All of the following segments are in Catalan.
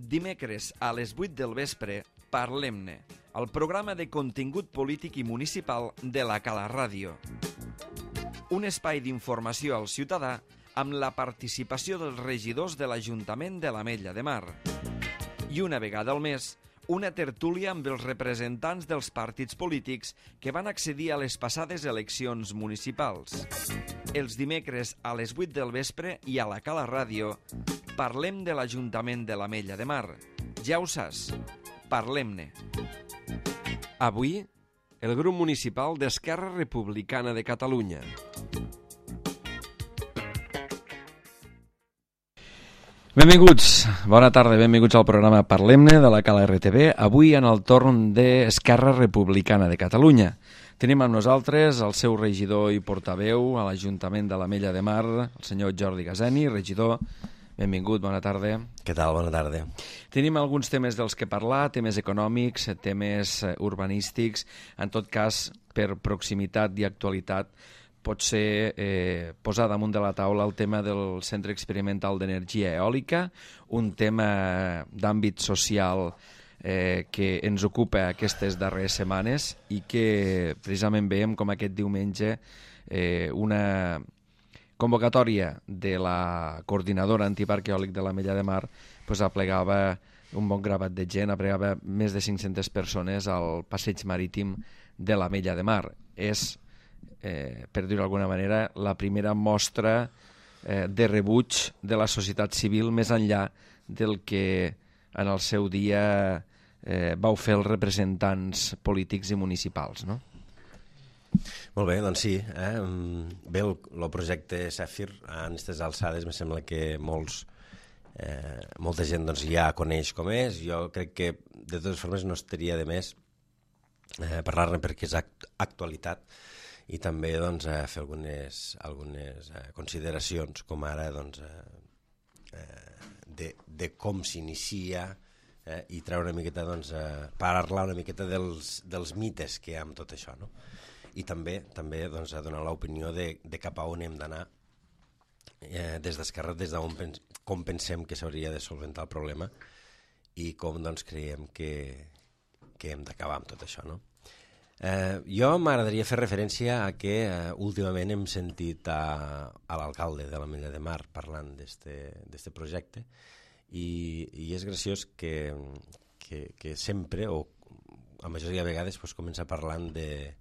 Dimecres a les 8 del vespre, Parlem-ne, el programa de contingut polític i municipal de la Cala Ràdio. Un espai d'informació al ciutadà amb la participació dels regidors de l'Ajuntament de l'Ametlla de Mar. I una vegada al mes, una tertúlia amb els representants dels partits polítics que van accedir a les passades eleccions municipals. Els dimecres a les 8 del vespre i a la Cala Ràdio parlem de l'Ajuntament de l'Ametlla de Mar. Ja ho saps, parlem-ne. Avui, el grup municipal d'Esquerra Republicana de Catalunya. Benvinguts, bona tarda, benvinguts al programa Parlem-ne de la Cala RTV, avui en el torn d'Esquerra Republicana de Catalunya. Tenim amb nosaltres el seu regidor i portaveu a l'Ajuntament de l'Ametlla de Mar, el senyor Jordi Gazeni. Regidor, benvingut, bona tarda. Què tal? Bona tarda. Tenim alguns temes dels que parlar, temes econòmics, temes urbanístics, en tot cas, per proximitat i actualitat, pot ser posar damunt de la taula el tema del Centre Experimental d'Energia Eòlica, un tema d'àmbit social que ens ocupa aquestes darreres setmanes i que precisament veiem com aquest diumenge una convocatòria de la coordinadora antiparc eòlic de l'Ametlla de Mar aplegava un bon gravat de gent, aplegava més de 500 persones al passeig marítim de l'Ametlla de Mar. És per dir-ho d'alguna manera, la primera mostra de rebuig de la societat civil més enllà del que en el seu dia vau fer els representants polítics i municipals, no? Molt bé, doncs sí. Bé, el projecte Zèfir, a aquestes alçades, me sembla que molta gent ja coneix com és. Jo crec que, de totes formes, no estaria de més parlar-ne perquè és actualitat, i també fer algunes consideracions, com ara de com s'inicia i treure una miqueta, parlar una miqueta dels mites que hi ha amb tot això, no? I també donar l'opinió de cap a on hem d'anar des d'Esquerra, com pensem que s'hauria de solventar el problema i com creiem que hem d'acabar amb tot això, no? Jo m'agradaria fer referència a que últimament hem sentit a l'alcalde de l'Ametlla de Mar parlant d'este projecte i és graciós que sempre, o a majoria de vegades, comença parlant de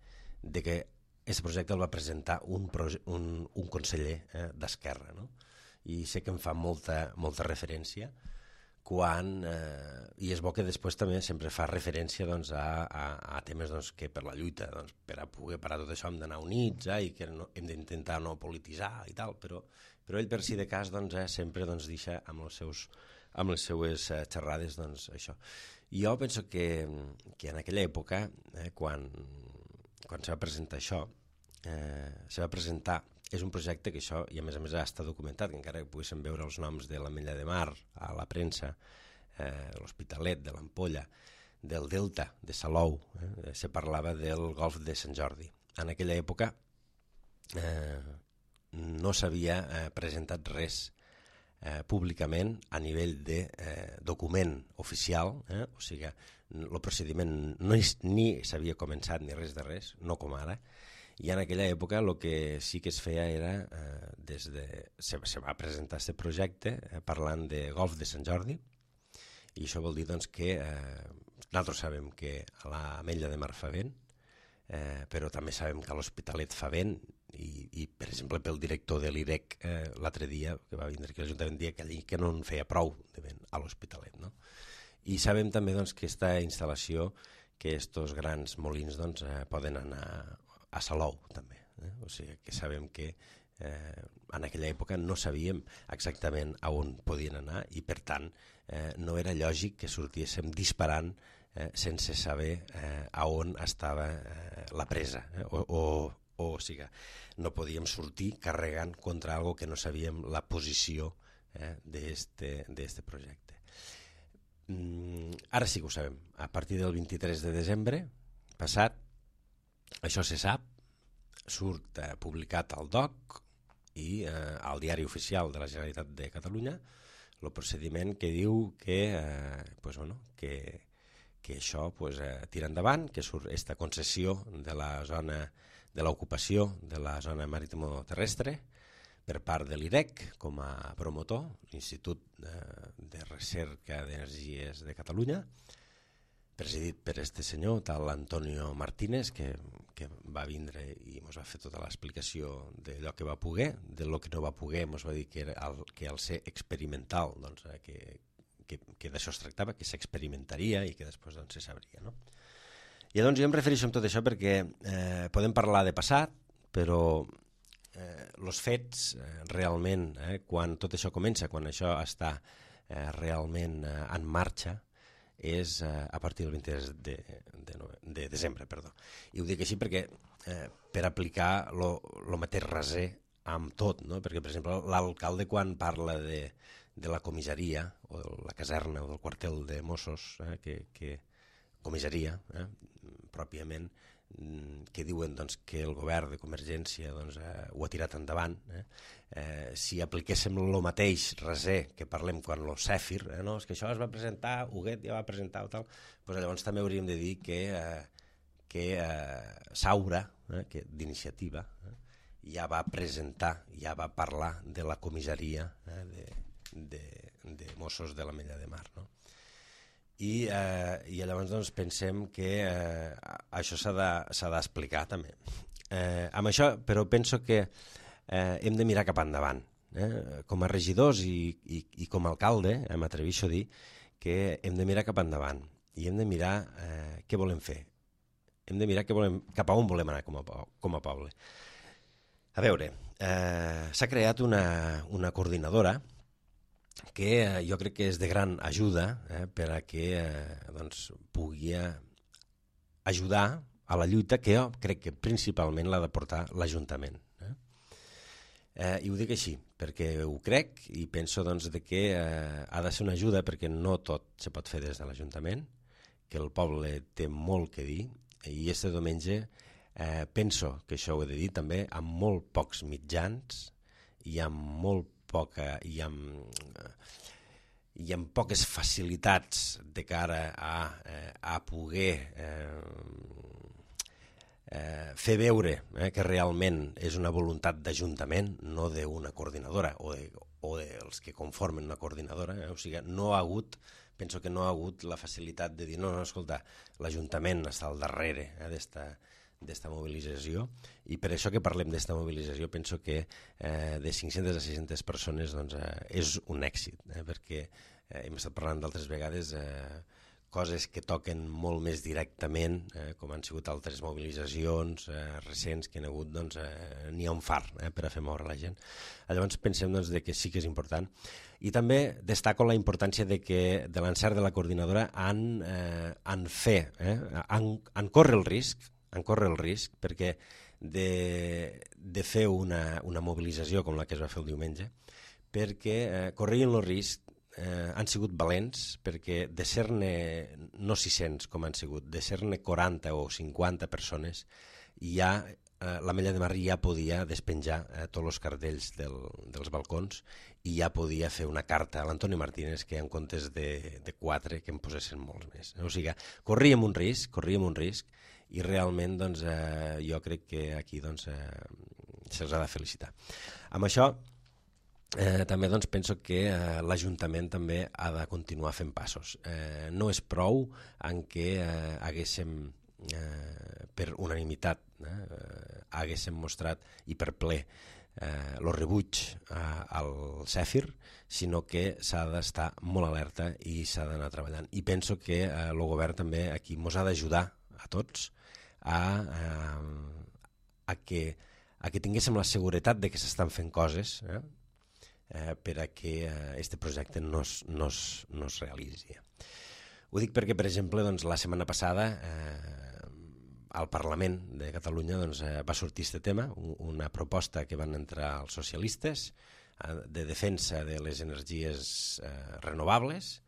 que aquest projecte el va presentar un conseller d'Esquerra, no? I sé que em fa molta referència i és bo que després també sempre fa referència a temes que per la lluita, per a poder parar tot això hem d'anar units i que hem d'intentar no polititzar i tal, però ell per si de cas sempre deixa amb les seues xerrades això. Jo penso que en aquella època, quan se va presentar això, és un projecte que això, i a més ha estat documentat, que encara que poguéssim veure els noms de l'Ametlla de Mar a la premsa, l'Hospitalet, de l'Ampolla, del Delta, de Salou, se parlava del Golf de Sant Jordi. En aquella època no s'havia presentat res públicament a nivell de document oficial, o sigui, el procediment ni s'havia començat ni res de res, no com ara. I en aquella època el que sí que es feia era, se va presentar aquest projecte parlant de Golf de Sant Jordi, i això vol dir que nosaltres sabem que a l'Ametlla de Mar fa vent, però també sabem que a l'Hospitalet fa vent, i per exemple pel director de l'IREC l'altre dia, que va vindre aquí a l'Ajuntament, dia que no en feia prou de vent a l'Hospitalet, no? I sabem també que aquesta instal·lació, que estos grans molins poden anar a Salou també, o sigui que sabem que en aquella època no sabíem exactament a on podien anar i per tant no era lògic que sortíssim disparant sense saber a on estava la presa, o sigui, no podíem sortir carregant contra algo que no sabíem la posició d'este projecte. Ara sí que ho sabem, a partir del 23 de desembre passat, això se sap, surt publicat al DOC i al Diari Oficial de la Generalitat de Catalunya el procediment que diu que, que això tira endavant, que surt aquesta concessió de la zona de l'ocupació de la zona marítimo-terrestre per part de l'IREC com a promotor, l'Institut de Recerca d'Energies de Catalunya, presidit per este senyor, tal Antonio Martínez, que va vindre i ens va fer tota l'explicació d'allò que va poder, de lo que no va poder, ens va dir que al ser experimental, doncs, que d'això es tractava, que s'experimentaria i que després se sabria. No? I doncs jo em refereixo amb tot això perquè podem parlar de passat, però els fets realment, quan tot això comença, quan això està realment en marxa, és a partir del 23 de desembre. I ho dic així perquè per aplicar el mateix raser amb tot, no? Perquè, per exemple, l'alcalde quan parla de la comissaria o de la caserna o del quartel de Mossos, comissaria, pròpiament, que diuen que el govern de Convergència ho ha tirat endavant. Si apliquéssim el mateix raser que parlem quan el Cèfir, és que això es va presentar, Huguet ja va presentar o tal, llavors també hauríem de dir que Saura, d'iniciativa, ja va presentar, ja va parlar de la comissaria de Mossos de l'Ametlla de Mar, no? I llavors pensem que això s'ha d'explicar també. Amb això, però penso que hem de mirar cap endavant. Com a regidors i com a alcalde, m'atreveixo a dir que hem de mirar cap endavant i hem de mirar què volem fer. Hem de mirar cap a on volem anar com a poble. A veure, s'ha creat una coordinadora que jo crec que és de gran ajuda per a que pugui ajudar a la lluita que jo crec que principalment l'ha de portar l'Ajuntament. I ho dic així, perquè ho crec i penso que ha de ser una ajuda perquè no tot se pot fer des de l'Ajuntament, que el poble té molt que dir i este diumenge penso que això ho he de dir també amb molt pocs mitjans i amb molt poca i amb poques facilitats de cara a poder fer veure que realment és una voluntat d'Ajuntament, no d'una coordinadora o dels que conformen una coordinadora. O sigui, penso que no ha hagut la facilitat de dir no, escolta, l'Ajuntament està al darrere d'esta mobilització i per això que parlem d'esta mobilització penso que de 500 a 600 persones és un èxit, perquè hem estat parlant d'altres vegades coses que toquen molt més directament, com han sigut altres mobilitzacions recents que hi ha hagut, n'hi ha un far per a fer moure la gent. Llavors pensem que sí que és important. I també destaco la importància de l'encert de la coordinadora en córrer el risc, perquè de fer una mobilització com la que es va fer el diumenge, perquè corrien el risc, han sigut valents, perquè de ser-ne no 600 com han sigut, de ser-ne 40 o 50 persones, ja l'Ametlla de Mar ja podia despenjar tots els cartells dels balcons i ja podia fer una carta a l'Antonio Martínez que en comptes de 4 que en posessin molts més. O sigui, corríem un risc i realment jo crec que aquí se'ls ha de felicitar. Amb això també penso que l'Ajuntament també ha de continuar fent passos. No és prou en què haguéssim per unanimitat haguéssim mostrat i per ple el rebuig al Cèfir, sinó que s'ha d'estar molt alerta i s'ha d'anar treballant. I penso que el govern també aquí ens ha d'ajudar a tots a que tinguéssim la seguretat de que s'estan fent coses per a que aquest projecte no es realitzi. Ho dic perquè, per exemple, la setmana passada al Parlament de Catalunya va sortir aquest tema, una proposta que van entrar els socialistes de defensa de les energies renovables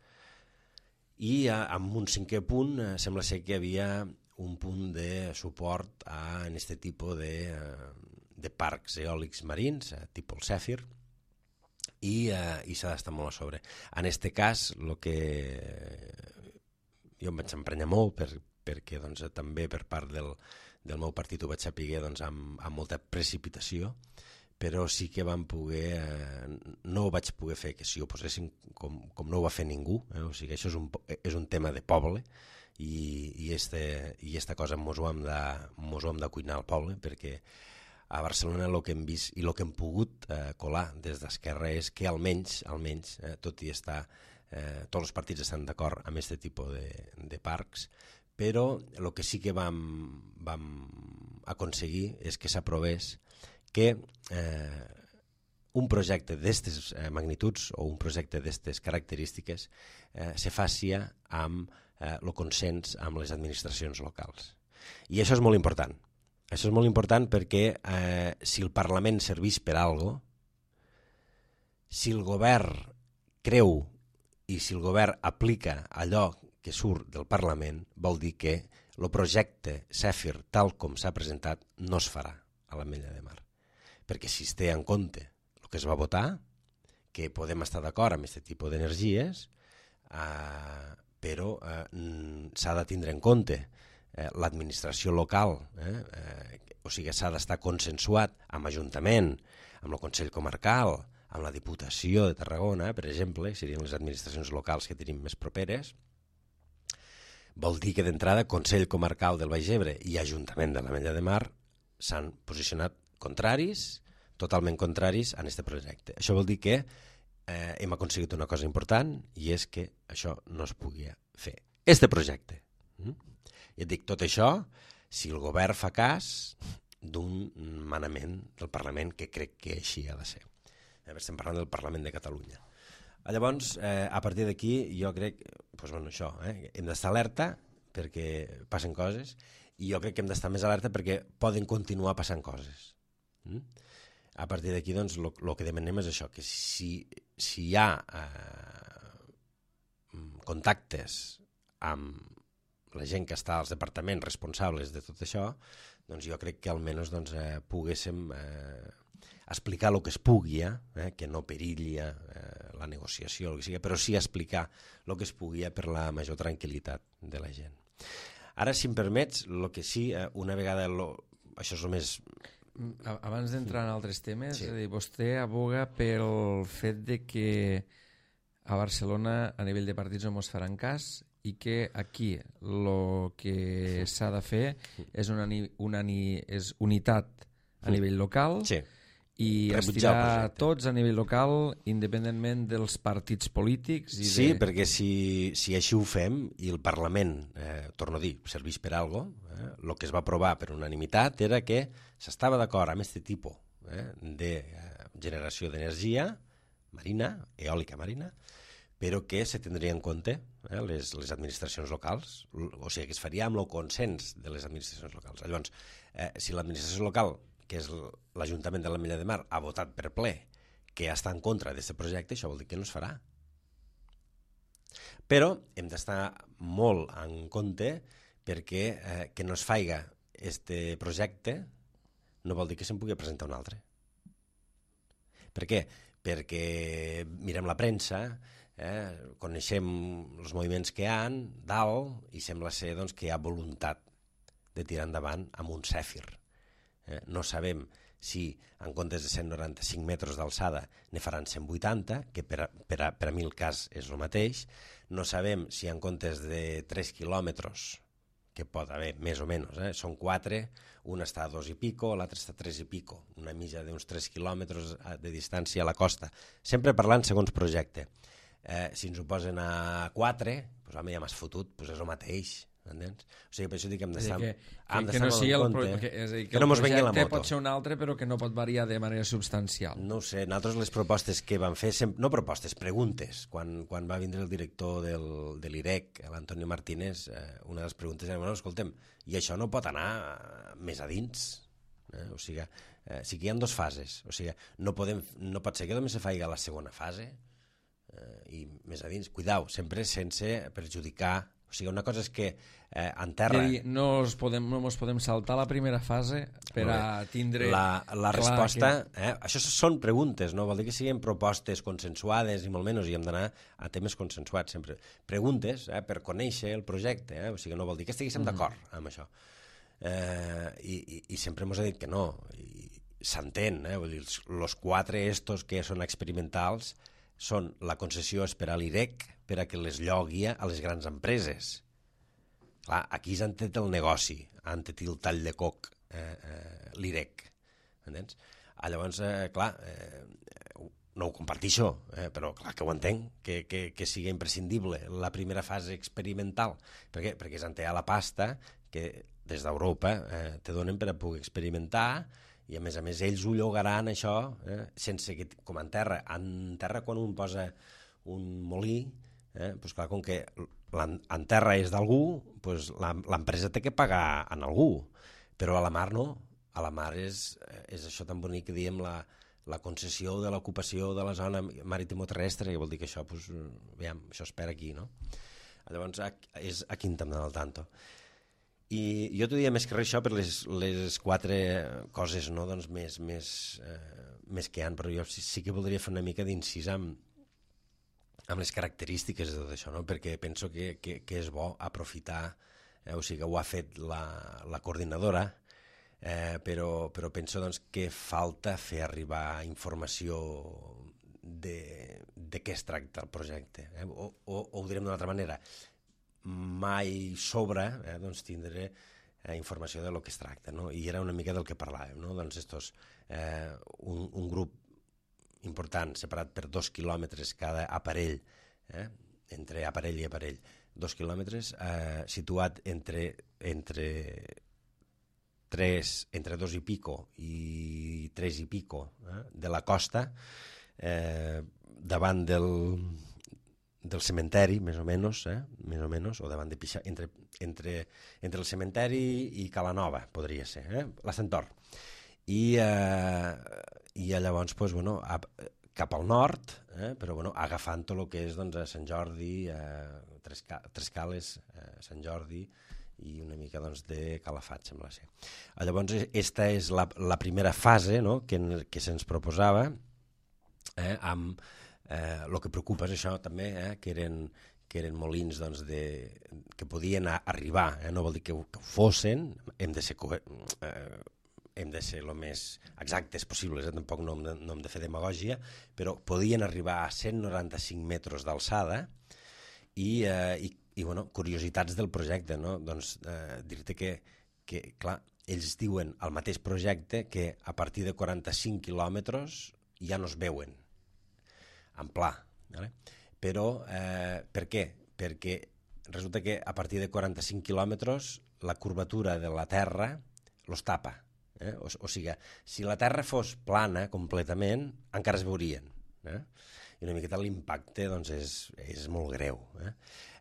i amb un 5è punt sembla ser que hi havia un punt de suport en aquest tipus de parcs eòlics marins, tipus el Cèfir, i s'ha d'estar molt a sobre. En aquest cas, el que jo em vaig emprenyar molt perquè doncs, també per part del meu partit ho vaig saber doncs, amb molta precipitació, però sí que vam poder, no ho vaig poder fer que s'hi oposessin com no ho va fer ningú, o sigui, això és un tema de poble i esta cosa mos ho hem de cuinar al poble, perquè a Barcelona el que hem vist i el que hem pogut colar des d'Esquerra és que almenys tot i estar, tots els partits estan d'acord amb aquest tipus de parcs, però el que sí que vam aconseguir és que s'aprovés que un projecte d'aquestes magnituds o un projecte d'aquestes característiques se faci amb el consens amb les administracions locals. I això és molt important. Això és molt important perquè si el Parlament serveix per alguna cosa, si el govern creu i si el govern aplica allò que surt del Parlament, vol dir que el projecte CEFIR, tal com s'ha presentat, no es farà a l'Ametlla de Mar. Perquè si es té en compte el que es va votar, que podem estar d'acord amb aquest tipus d'energies, però s'ha de tindre en compte l'administració local, o sigui, s'ha d'estar consensuat amb l'Ajuntament, amb el Consell Comarcal, amb la Diputació de Tarragona, per exemple, serien les administracions locals que tenim més properes. Vol dir que d'entrada Consell Comarcal del Baix Ebre i Ajuntament de l'Ametlla de Mar s'han posicionat contraris, totalment contraris a aquest projecte. Això vol dir que hem aconseguit una cosa important i és que això no es pugui fer. Este projecte. I et dic tot això si el govern fa cas d'un manament del Parlament que crec que així ha de ser. Estem parlant del Parlament de Catalunya. Llavors, a partir d'aquí, jo crec, això, hem d'estar alerta perquè passen coses i jo crec que hem d'estar més alerta perquè poden continuar passant coses. A partir d'aquí, doncs, el que demanem és això, que si hi ha contactes amb la gent que està als departaments responsables de tot això, doncs jo crec que almenys poguéssim explicar el que es pugui, que no perilli la negociació, el que sigui, però sí explicar el que es pugui per la major tranquil·litat de la gent. Ara, si em permets, el que sí, una vegada... Això és el més... Abans d'entrar en altres temes, sí. Vostè aboga pel fet de que a Barcelona a nivell de partits no ens faran cas i que aquí el que s'ha de fer és unitat a nivell local, sí, i estirar tots a nivell local independentment dels partits polítics. Sí, perquè si així ho fem i el Parlament, torno a dir, serveix per alguna cosa, el que es va aprovar per unanimitat era que s'estava d'acord amb aquest tipus de generació d'energia marina, eòlica marina, però que se tindria en compte les administracions locals, o sigui que es faria amb el consens de les administracions locals. Llavors, si l'administració local, que és l'Ajuntament de l'Ametlla de Mar, ha votat per ple que està en contra d'aquest projecte, això vol dir que no es farà. Però hem d'estar molt en compte perquè que no es faiga aquest projecte no vol dir que se'n pugui presentar un altre. Per què? Perquè mirem la premsa, coneixem els moviments que hi ha dalt i sembla ser doncs, que hi ha voluntat de tirar endavant amb un CEFIR. No sabem si en comptes de 195 metres d'alçada ne faran 180, que per a mi el cas és el mateix. No sabem si en comptes de 3 quilòmetres, que pot haver més o menys, són 4, un està a 2 i pico, l'altre està a 3 i pico, una mitja d'uns 3 quilòmetres de distància a la costa. Sempre parlant segons projecte. Si ens ho posen a 4, doncs home, ja m'has fotut, doncs és el mateix. Entens? O sigui, per això dic que hem d'estar molt en compte, que no mos vengui la moto. Pot ser un altre, però que no pot variar de manera substancial. No ho sé, nosaltres les propostes que vam fer, no propostes, preguntes. Quan va vindre el director de l'IREC, l'Antonio Martínez, una de les preguntes era, bueno, escoltem, i això no pot anar més a dins? O sigui, sí que hi ha 2 fases. O sigui, no pot ser que només se faci la segona fase i més a dins. Cuidao, sempre sense perjudicar O sigui, una cosa és que en terra... No ens podem saltar la primera fase per a tindre... La resposta... Això són preguntes, no? Vol dir que siguin propostes consensuades i molt menys, i hem d'anar a temes consensuats sempre. Preguntes per conèixer el projecte, o sigui, no vol dir que estiguéssim d'acord amb això. I sempre ens ha dit que no, i s'entén, vull dir, els 4 estos que són experimentals són la concessió és per a l'IREC per a que les llogui a les grans empreses. Clar, aquí s'han tret el negoci, han tret el tall de coc, l'IREC, entens? Llavors, clar, no ho comparteixo, però clar que ho entenc, que sigui imprescindible la primera fase experimental. Per què? Perquè s'han tret la pasta que des d'Europa te donen per a poder experimentar, i a més ells ho llogaran això sense que, com en terra quan un posa un molí, doncs clar, com que en terra és d'algú, doncs l'empresa té que pagar en algú, però a la mar no, a la mar és això tan bonic que diem la concessió de l'ocupació de la zona maritimoterrestre, que vol dir que això, doncs, veiem, això es perd aquí, no? Llavors és aquí en hem d'anar al tanto. I jo t'ho diria més que res això per les 4 coses, no, doncs, més que hi ha, però jo sí que voldria fer una mica d'incís amb les característiques de tot això, no? Perquè penso que és bo aprofitar, o sigui que ho ha fet la coordinadora, però penso doncs, que falta fer arribar informació de què es tracta el projecte, o ho direm d'una altra manera, mai sobra doncs tindre informació de lo que es tracta, no? I era una mica del que parlàvem, no? Doncs un grup important separat per 2 quilòmetres cada aparell, entre aparell i aparell, 2 quilòmetres, situat entre 2 i pico i 3 i pico de la costa, davant del cementeri, més o menys, o davant de Pixar, entre el cementeri i Calanova, podria ser, la Centaur. I llavors, doncs, bueno, cap al nord, però bueno, agafant tot el que és doncs, a Sant Jordi, Tres Cales, Sant Jordi i una mica doncs, de Calafat, sembla ser. Llavors, aquesta és la primera fase, no?, que se'ns proposava, amb el que preocupa és això també, que eren molins doncs, que podien arribar, no vol dir que ho fossin, hem de ser el més exactes possibles, tampoc no hem de fer demagògia, però podien arribar a 195 metres d'alçada i bueno, curiositats del projecte, no? Doncs dir-te que, clar, ells diuen al mateix projecte que a partir de 45 quilòmetres ja no es veuen en pla, però per què? Perquè resulta que a partir de 45 quilòmetres la curvatura de la Terra los tapa, o sigui, si la Terra fos plana completament encara es veurien, i una miqueta l'impacte doncs, és molt greu.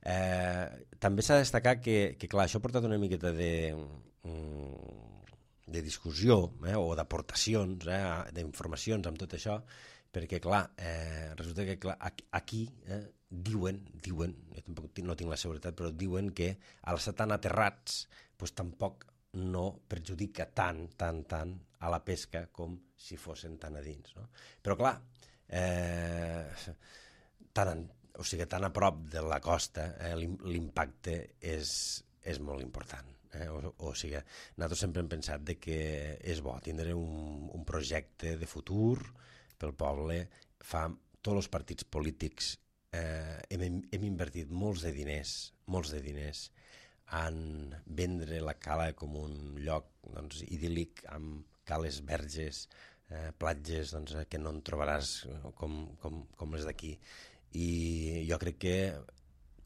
També s'ha de destacar que clar, això ha portat una miqueta de discussió o d'aportacions, d'informacions amb tot això, perquè, clar, resulta que aquí diuen, jo tampoc no tinc la seguretat, però diuen que al estar tan aterrats, doncs tampoc no perjudica tant a la pesca com si fossin tan a dins, no? Però, clar, tan a prop de la costa, l'impacte és molt important. O sigui, nosaltres sempre hem pensat que és bo tindre un projecte de futur pel poble. Tots els partits polítics hem invertit molts de diners en vendre la cala com un lloc doncs, idíl·lic, amb cales verges, platges doncs, que no en trobaràs com les d'aquí. I jo crec que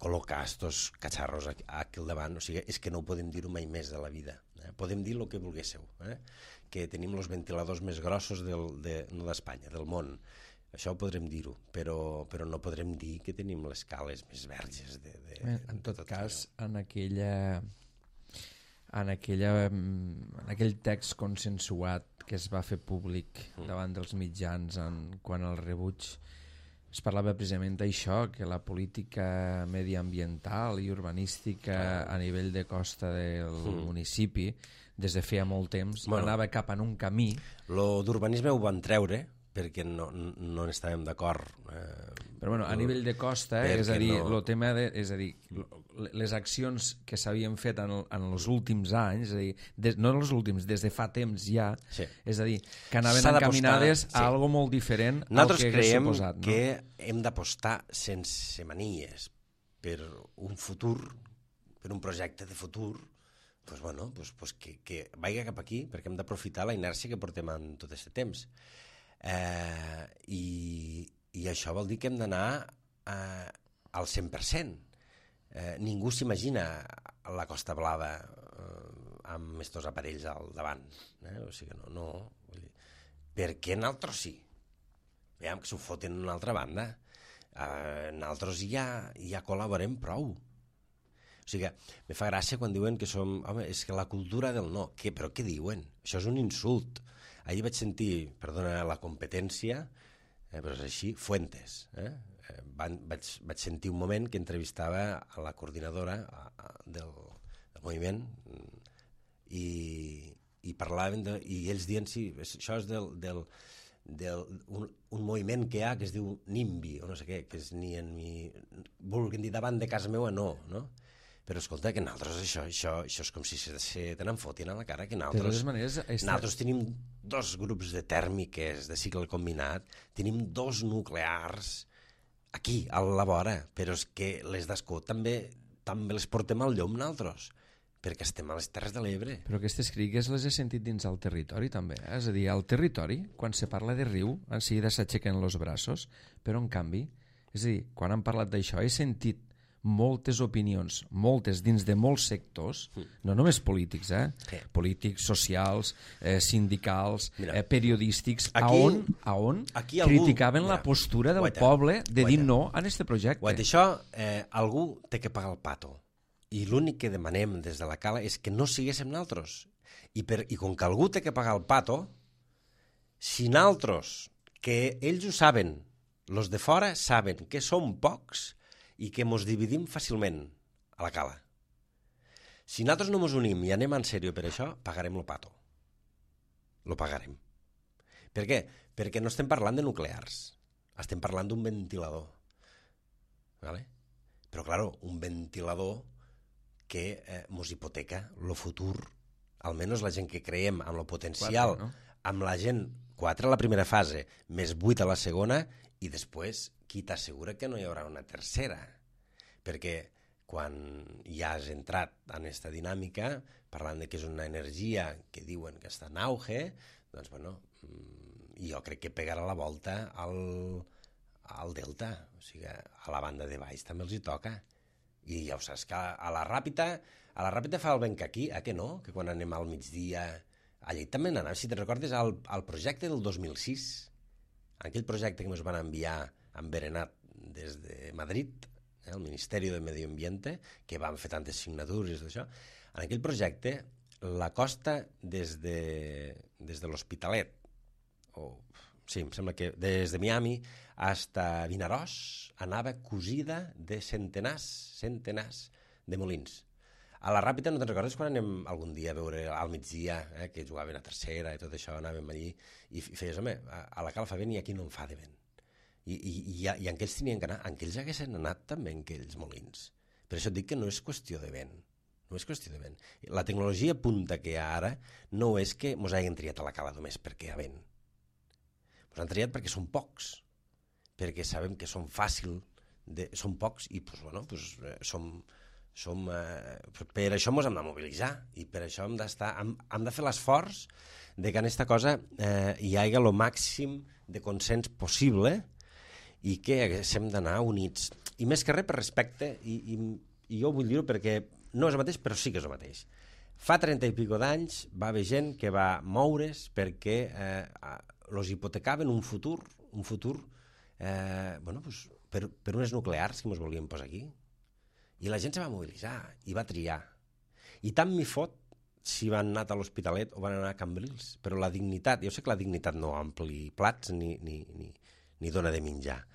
col·locar estos catxarros aquí al davant, o sigui, és que no ho podem dir-ho mai més de la vida. Podem dir el que volguéssiu, que tenim els ventiladors més grossos no d'Espanya, del món. Això ho podrem dir-ho, però no podrem dir que tenim les cales més verges. En tot cas, en aquell text consensuat que es va fer públic davant dels mitjans quant al rebuig, Es parlava precisament d'això, que la política mediambiental i urbanística a nivell de costa del municipi, des de feia molt temps, anava cap en un camí. Lo d'urbanisme ho van treure, perquè no estàvem d'acord. Però a nivell de costa, és a dir, el tema és a dir, les accions que s'havien fet en els últims anys, és a dir, no en els últims, des de fa temps ja, és a dir, que anaven encaminades a algo molt diferent al que hagués suposat. Nosaltres creiem que hem d'apostar sense manies per un futur, per un projecte de futur, que vagi cap aquí, perquè hem d'aprofitar la inèrcia que portem en tot aquest temps. I això vol dir que hem d'anar al 100%. Ningú s'imagina la Costa Blava amb estos aparells al davant. O sigui, no. Per què nosaltres sí? Veiem que s'ho foten en una altra banda. Nosaltres ja col·laborem prou. O sigui, me fa gràcia quan diuen que som... Home, és que la cultura del no. Però què diuen? Això és un insult. Ahir vaig sentir, perdona la competència, però és així, Fuentes. Vaig sentir un moment que entrevistava a la coordinadora del moviment i parlaven, i ells dient, sí, això és un moviment que hi ha que es diu NIMBY, o no sé què, que és ni vulguin dir davant de casa meva, no? Però escolta, que nosaltres això és com si se tenen fotin a la cara, que nosaltres tenim 2 grups de tèrmiques de cicle combinat, tenim 2 nuclears aquí, a la vora, però és que les d'Escó també les portem al llom nosaltres, perquè estem a les Terres de l'Ebre. Però aquestes crítiques les he sentit dins del territori també, és a dir, al territori, quan se parla de riu, en seguida s'aixequen els braços, però en canvi, és a dir, quan han parlat d'això, he sentit moltes opinions, moltes dins de molts sectors, no només polítics, polítics, socials, sindicals, periodístics, on criticaven la postura del poble de dir no a aquest projecte. Això algú té que pagar el pato, i l'únic que demanem des de la cala és que no siguéssim nosaltres, i com que algú té que pagar el pato, si nosaltres, que ells ho saben, els de fora saben que som pocs i que ens dividim fàcilment a la cala. Si nosaltres no ens unim i anem en sèrio per això, pagarem el pato. Lo pagarem. Per què? Perquè no estem parlant de nuclears. Estem parlant d'un ventilador. ¿Vale? Però, claro, un ventilador que ens hipoteca el futur, almenys la gent que creiem amb el potencial, 4, no? Amb la gent 4 a la primera fase, més 8 a la segona, i després qui t'assegura que no hi haurà una tercera? Perquè quan ja has entrat en aquesta dinàmica, parlant de que és una energia que diuen que està en auge, doncs, jo crec que pegarà la volta al delta, o sigui, a la banda de baix també els hi toca. I ja ho saps, que a la Ràpita fa el vent que aquí, que no? Que quan anem al migdia... Allà també n'anàvem, si te recordes, al projecte del 2006, aquell projecte que ens van enviar enverenat des de Madrid, el Ministeri de Medi Ambiente, que van fer tantes signatures d'això. En aquell projecte, la costa des de l'Hospitalet, em sembla que des de Miami fins a Vinaròs, anava cosida de centenars de molins. A la Ràpita, no te'n recordes quan anem algun dia a veure al migdia, que jugaven a tercera i tot això, anàvem allí, i feies, home, a la cala fa vent i aquí no en fa de vent. I en què ells tenien que anar? En què ells haguessin anat també en aquells molins. Per això et dic que no és qüestió de vent. No és qüestió de vent. La tecnologia punta que hi ha ara no és que ens hagin triat a la cala només perquè hi ha vent. Ens han triat perquè són pocs, perquè sabem que són són pocs i per això ens hem de mobilitzar i per això hem de fer l'esforç de que en aquesta cosa hi hagi el màxim de consens possible i que haguéssim d'anar units. I més que res per respecte, i jo vull dir-ho perquè no és el mateix, però sí que és el mateix. Fa 30 i pico d'anys va haver gent que va moure's perquè els hipotecaven un futur per unes nuclears que ens volien posar aquí. I la gent se va mobilitzar i va triar. I tant m'hi fot si van anar a l'Hospitalet o van anar a Cambrils. Però la dignitat, jo sé que la dignitat no ompli plats ni dona de menjar,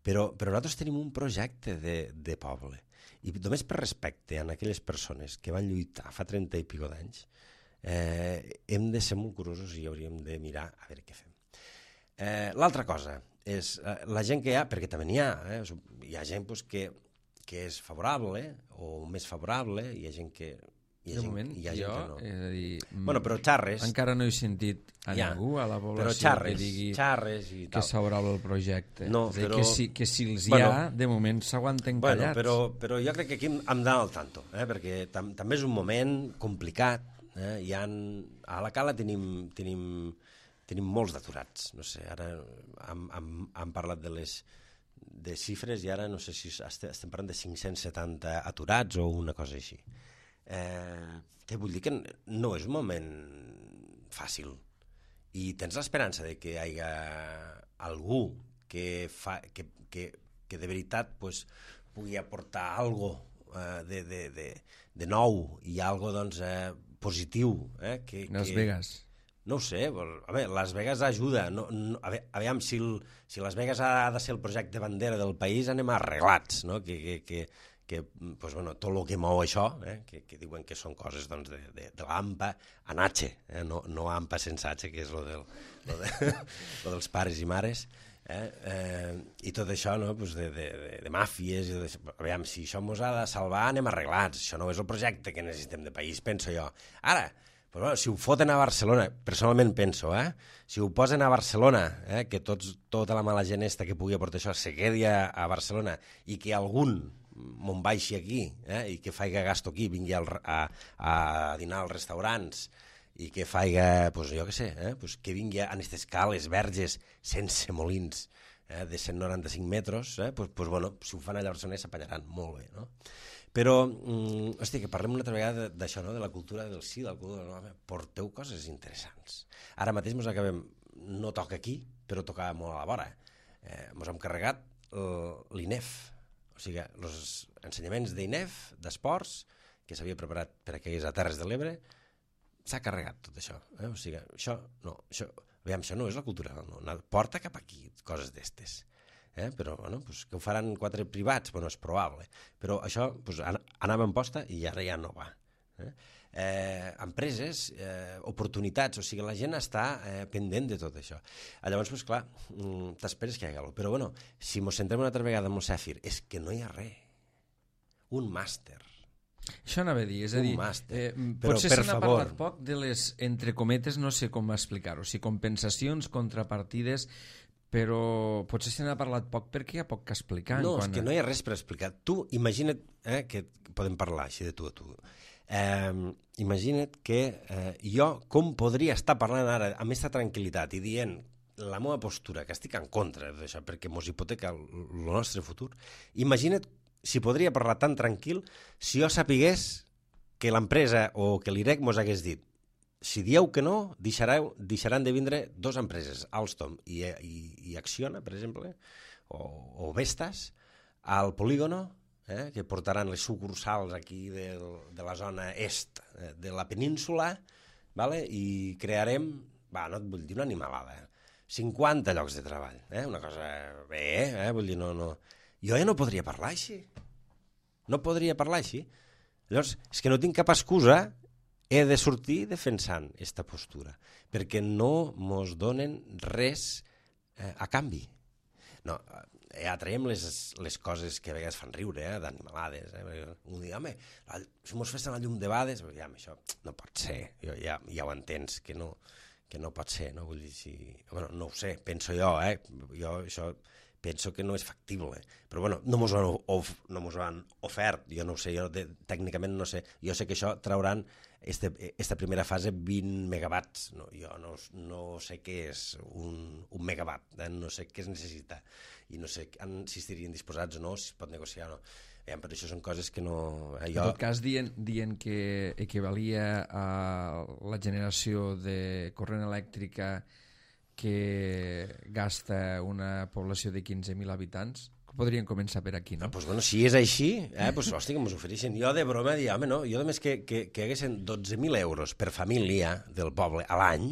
Però nosaltres tenim un projecte de poble. I només per respecte a aquelles persones que van lluitar fa 30 i pico d'anys, hem de ser molt curosos i hauríem de mirar a veure què fem. L'altra cosa és la gent que hi ha, perquè també n'hi ha gent doncs, que és favorable o més favorable, hi ha gent que... De moment, jo, és a dir... Bueno, però xarres... Encara no he sentit a ningú a la població que digui i que és favorable al projecte. No, és a dir, però... que si els hi ha, de moment s'aguanten callats. Però jo crec que aquí hem d'anar al tanto, perquè també és un moment complicat. A la Cala tenim molts d'aturats. No sé, ara hem parlat de xifres i ara no sé si estem parlant de 570 aturats o una cosa així. Què vull dir? Que no és un moment fàcil i tens l'esperança de que hi hagi algú que de veritat pues, pugui aportar alguna de nou i alguna positiu. Las Vegas. No ho sé, Las Vegas ajuda. Aviam, si Las Vegas ha de ser el projecte bandera del país, anem arreglats, no? Pues, tot el que mou això, que diuen que són coses doncs, de l'AMPA en H, no AMPA sense H, que és lo dels pares i mares, i tot això no? Pues de màfies. Aviam, si això ens ha de salvar, anem arreglats. Això no és el projecte que necessitem de país, penso jo. Ara, pues, si ho foten a Barcelona, personalment penso, si ho posen a Barcelona, que tota la mala gent que pugui aportar això se quedi a Barcelona i que algun me'n baixi aquí i que faci gasto aquí, vingui a dinar als restaurants i que faci, pues, jo què sé, que vingui a aquestes cales verges sense molins de 195 metres, pues, si ho fan allà a Barcelona s'apanyaran molt bé, no? Però, hosti, que parlem una altra vegada d'això, no? De la cultura del sí, de la cultura del no. Porteu coses interessants. Ara mateix ens acabem, no toca aquí, però toca molt a la vora. Ens hem carregat l'INEF, o sigui, els ensenyaments d'INEF, d'esports, que s'havia preparat per a que hi hagués a Terres de l'Ebre, s'ha carregat tot això. O sigui, això no és la cultura, no. Porta cap aquí coses d'estes. Però, que ho faran 4 privats, és probable. Però això anava en posta i ara ja no va. Empreses, oportunitats, o sigui, la gent està pendent de tot això. Llavors, clar, t'esperes que hi hagi alguna cosa. Però, si ens centrem una altra vegada en el Cèfir, és que no hi ha res. Un màster. Això anava a dir, és a dir, potser se n'ha parlat poc de les, entre cometes, no sé com explicar-ho, si compensacions, contrapartides, però potser se n'ha parlat poc perquè hi ha poc que explicar. No, és que no hi ha res per explicar. Tu, imagina't, que podem parlar així de tu a tu, imagina't que jo com podria estar parlant ara amb aquesta tranquil·litat i dient la meva postura, que estic en contra d'això perquè mos hipoteca el nostre futur. Imagina't si podria parlar tan tranquil si jo sapigués que l'empresa o que l'IREC mos hagués dit si dieu que no, deixaran de vindre 2 empreses, Alstom i Acciona, per exemple, o Vestas, al polígono, que portaran les sucursals aquí de la zona est de la península, i crearem, no et vull dir una animalada, 50 llocs de treball, una cosa bé, vull dir, no. Jo ja no podria parlar així. No podria parlar així. Llavors, és que no tinc cap excusa, he de sortir defensant aquesta postura, perquè no mos donen res a canvi. No, ja traiem les coses que a vegades fan riure, d'animalades. Un dia, home, si mos fessin la llum de bades, això no pot ser, ja ho entens, que no pot ser, no? Vull dir, no ho sé, penso jo, jo això penso que no és factible, però no mos ho han ofert, jo no ho sé, jo tècnicament no sé, jo sé que això trauran esta primera fase 20 megawatts, jo no sé què és un megawatt, no sé què es necessita i no sé si estarien disposats o no, si es pot negociar o no. Però això són coses que no... En tot cas, dient que equivalia a la generació de corrent elèctrica que gasta una població de 15.000 habitants, podrien començar per aquí, no? Si és així, hòstia, que mos ofereixen. Jo de broma diria, home, no, jo només que haguessin 12.000 euros per família del poble a l'any,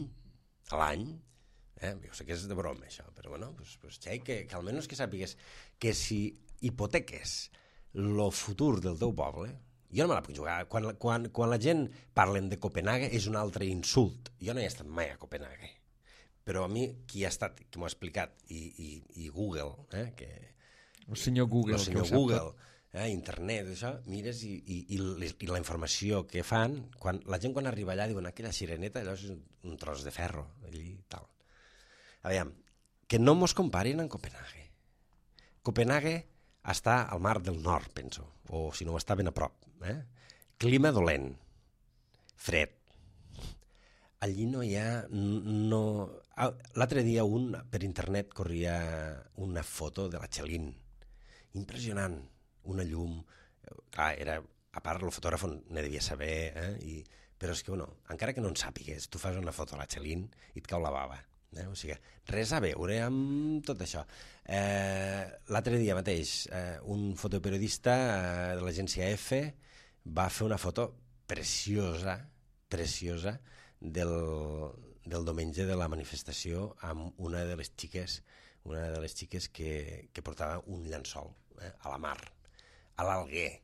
Jo sé que és de broma, això, però bueno, pues, que almenys que sàpigues que si hipoteques el futur del teu poble, jo no me la puc jugar. Quan la gent parlen de Copenhague és un altre insult. Jo no he estat mai a Copenhague, però a mi qui ha estat, qui m'ho ha explicat, i Google, que... El senyor Google. El senyor Google, internet, això, mires i la informació que fan, la gent quan arriba allà diuen aquella sireneta, allò és un tros de ferro, allí i tal. Aviam, que no mos comparin amb Copenhague. Copenhague està al mar del nord, penso, o si no està ben a prop. Clima dolent, fred. Allí no hi ha... L'altre dia per internet corria una foto de la Txelin. Impressionant, una llum. Clar, a part el fotògraf ne devia saber, però és que, encara que no en sàpigues, tu fas una foto a la Txelin i et cau la bava. O sigui, res a veure amb tot això. L'altre dia mateix, un fotoperiodista de l'agència EFE va fer una foto preciosa del diumenge de la manifestació amb una de les xiques que portava un llençol a la mar, a l'Alguer.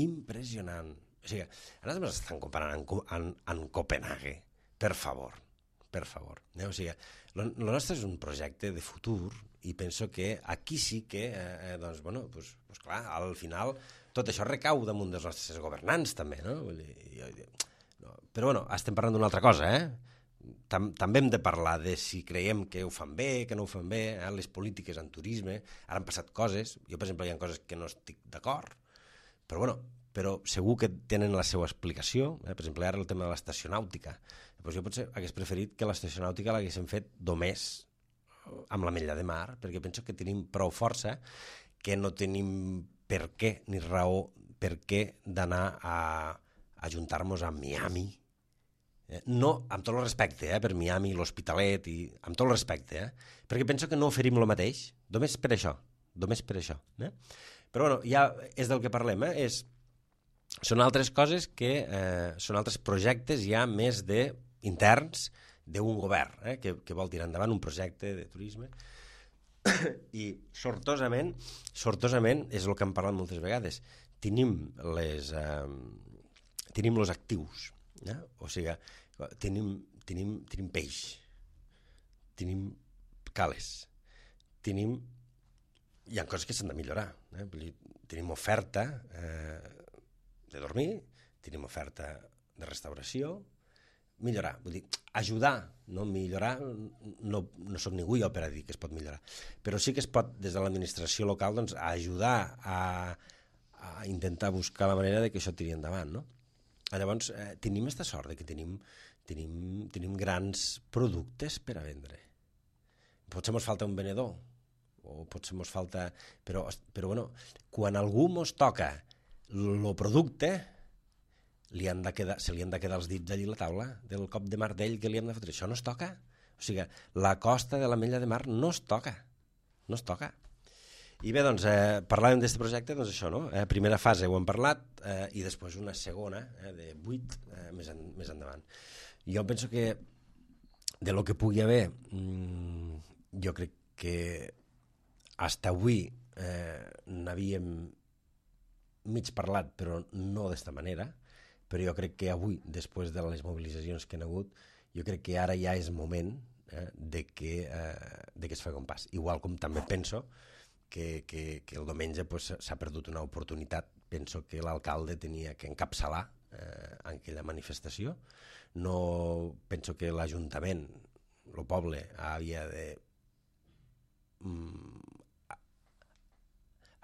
Impressionant. O sigui, ara ens estan comparant amb Copenhague. Per favor. O sigui, el nostre és un projecte de futur i penso que aquí sí que, doncs clar, al final tot això recau damunt dels nostres governants també, no? Però estem parlant d'una altra cosa, També hem de parlar de si creiem que ho fan bé, que no ho fan bé, les polítiques en turisme, ara han passat coses, jo per exemple hi ha coses que no estic d'acord, però segur que tenen la seva explicació, per exemple ara el tema de l'estació nàutica, doncs jo potser hagués preferit que l'estació nàutica l'haguéssim fet només amb l'Ametlla de Mar, perquè penso que tenim prou força, que no tenim per què ni raó per què d'anar a ajuntar-nos a Miami. No, amb tot el respecte, per Miami, l'Hospitalet, amb tot el respecte, perquè penso que no oferim el mateix, només per això. Però ja és del que parlem, són altres coses que són altres projectes ja més interns d'un govern, que vol tirar endavant un projecte de turisme, i sortosament és el que hem parlat moltes vegades, tenim els actius, o sigui, tenim peix, tenim cales, hi ha coses que s'han de millorar, tenim oferta de dormir, tenim oferta de restauració, millorar, vull dir, ajudar, no millorar, no soc ningú jo per a dir que es pot millorar, però sí que es pot des de l'administració local doncs, ajudar a intentar buscar la manera de que això tiri endavant, no? Llavors, tenim aquesta sort que tenim grans productes per a vendre. Potser ens falta un venedor, o potser ens falta... Però quan algú ens toca el producte, se li han de quedar els dits allà a la taula del cop de martell que li hem de fotre. Això no es toca. O sigui, la costa de l'Ametlla de Mar no es toca. I bé, doncs, parlàvem d'aquest projecte, doncs això, no? Primera fase ho hem parlat, i després una segona, de 8, més endavant. Jo penso que de lo que pugui haver, jo crec que fins avui n'havíem mig parlat, però no d'esta manera, però jo crec que avui, després de les mobilitzacions que han hagut, jo crec que ara ja és moment de que es faci un pas. Igual com també penso que el diumenge s'ha perdut una oportunitat. Penso que l'alcalde tenia que encapçalar aquella manifestació. No penso que l'Ajuntament, el poble, havia de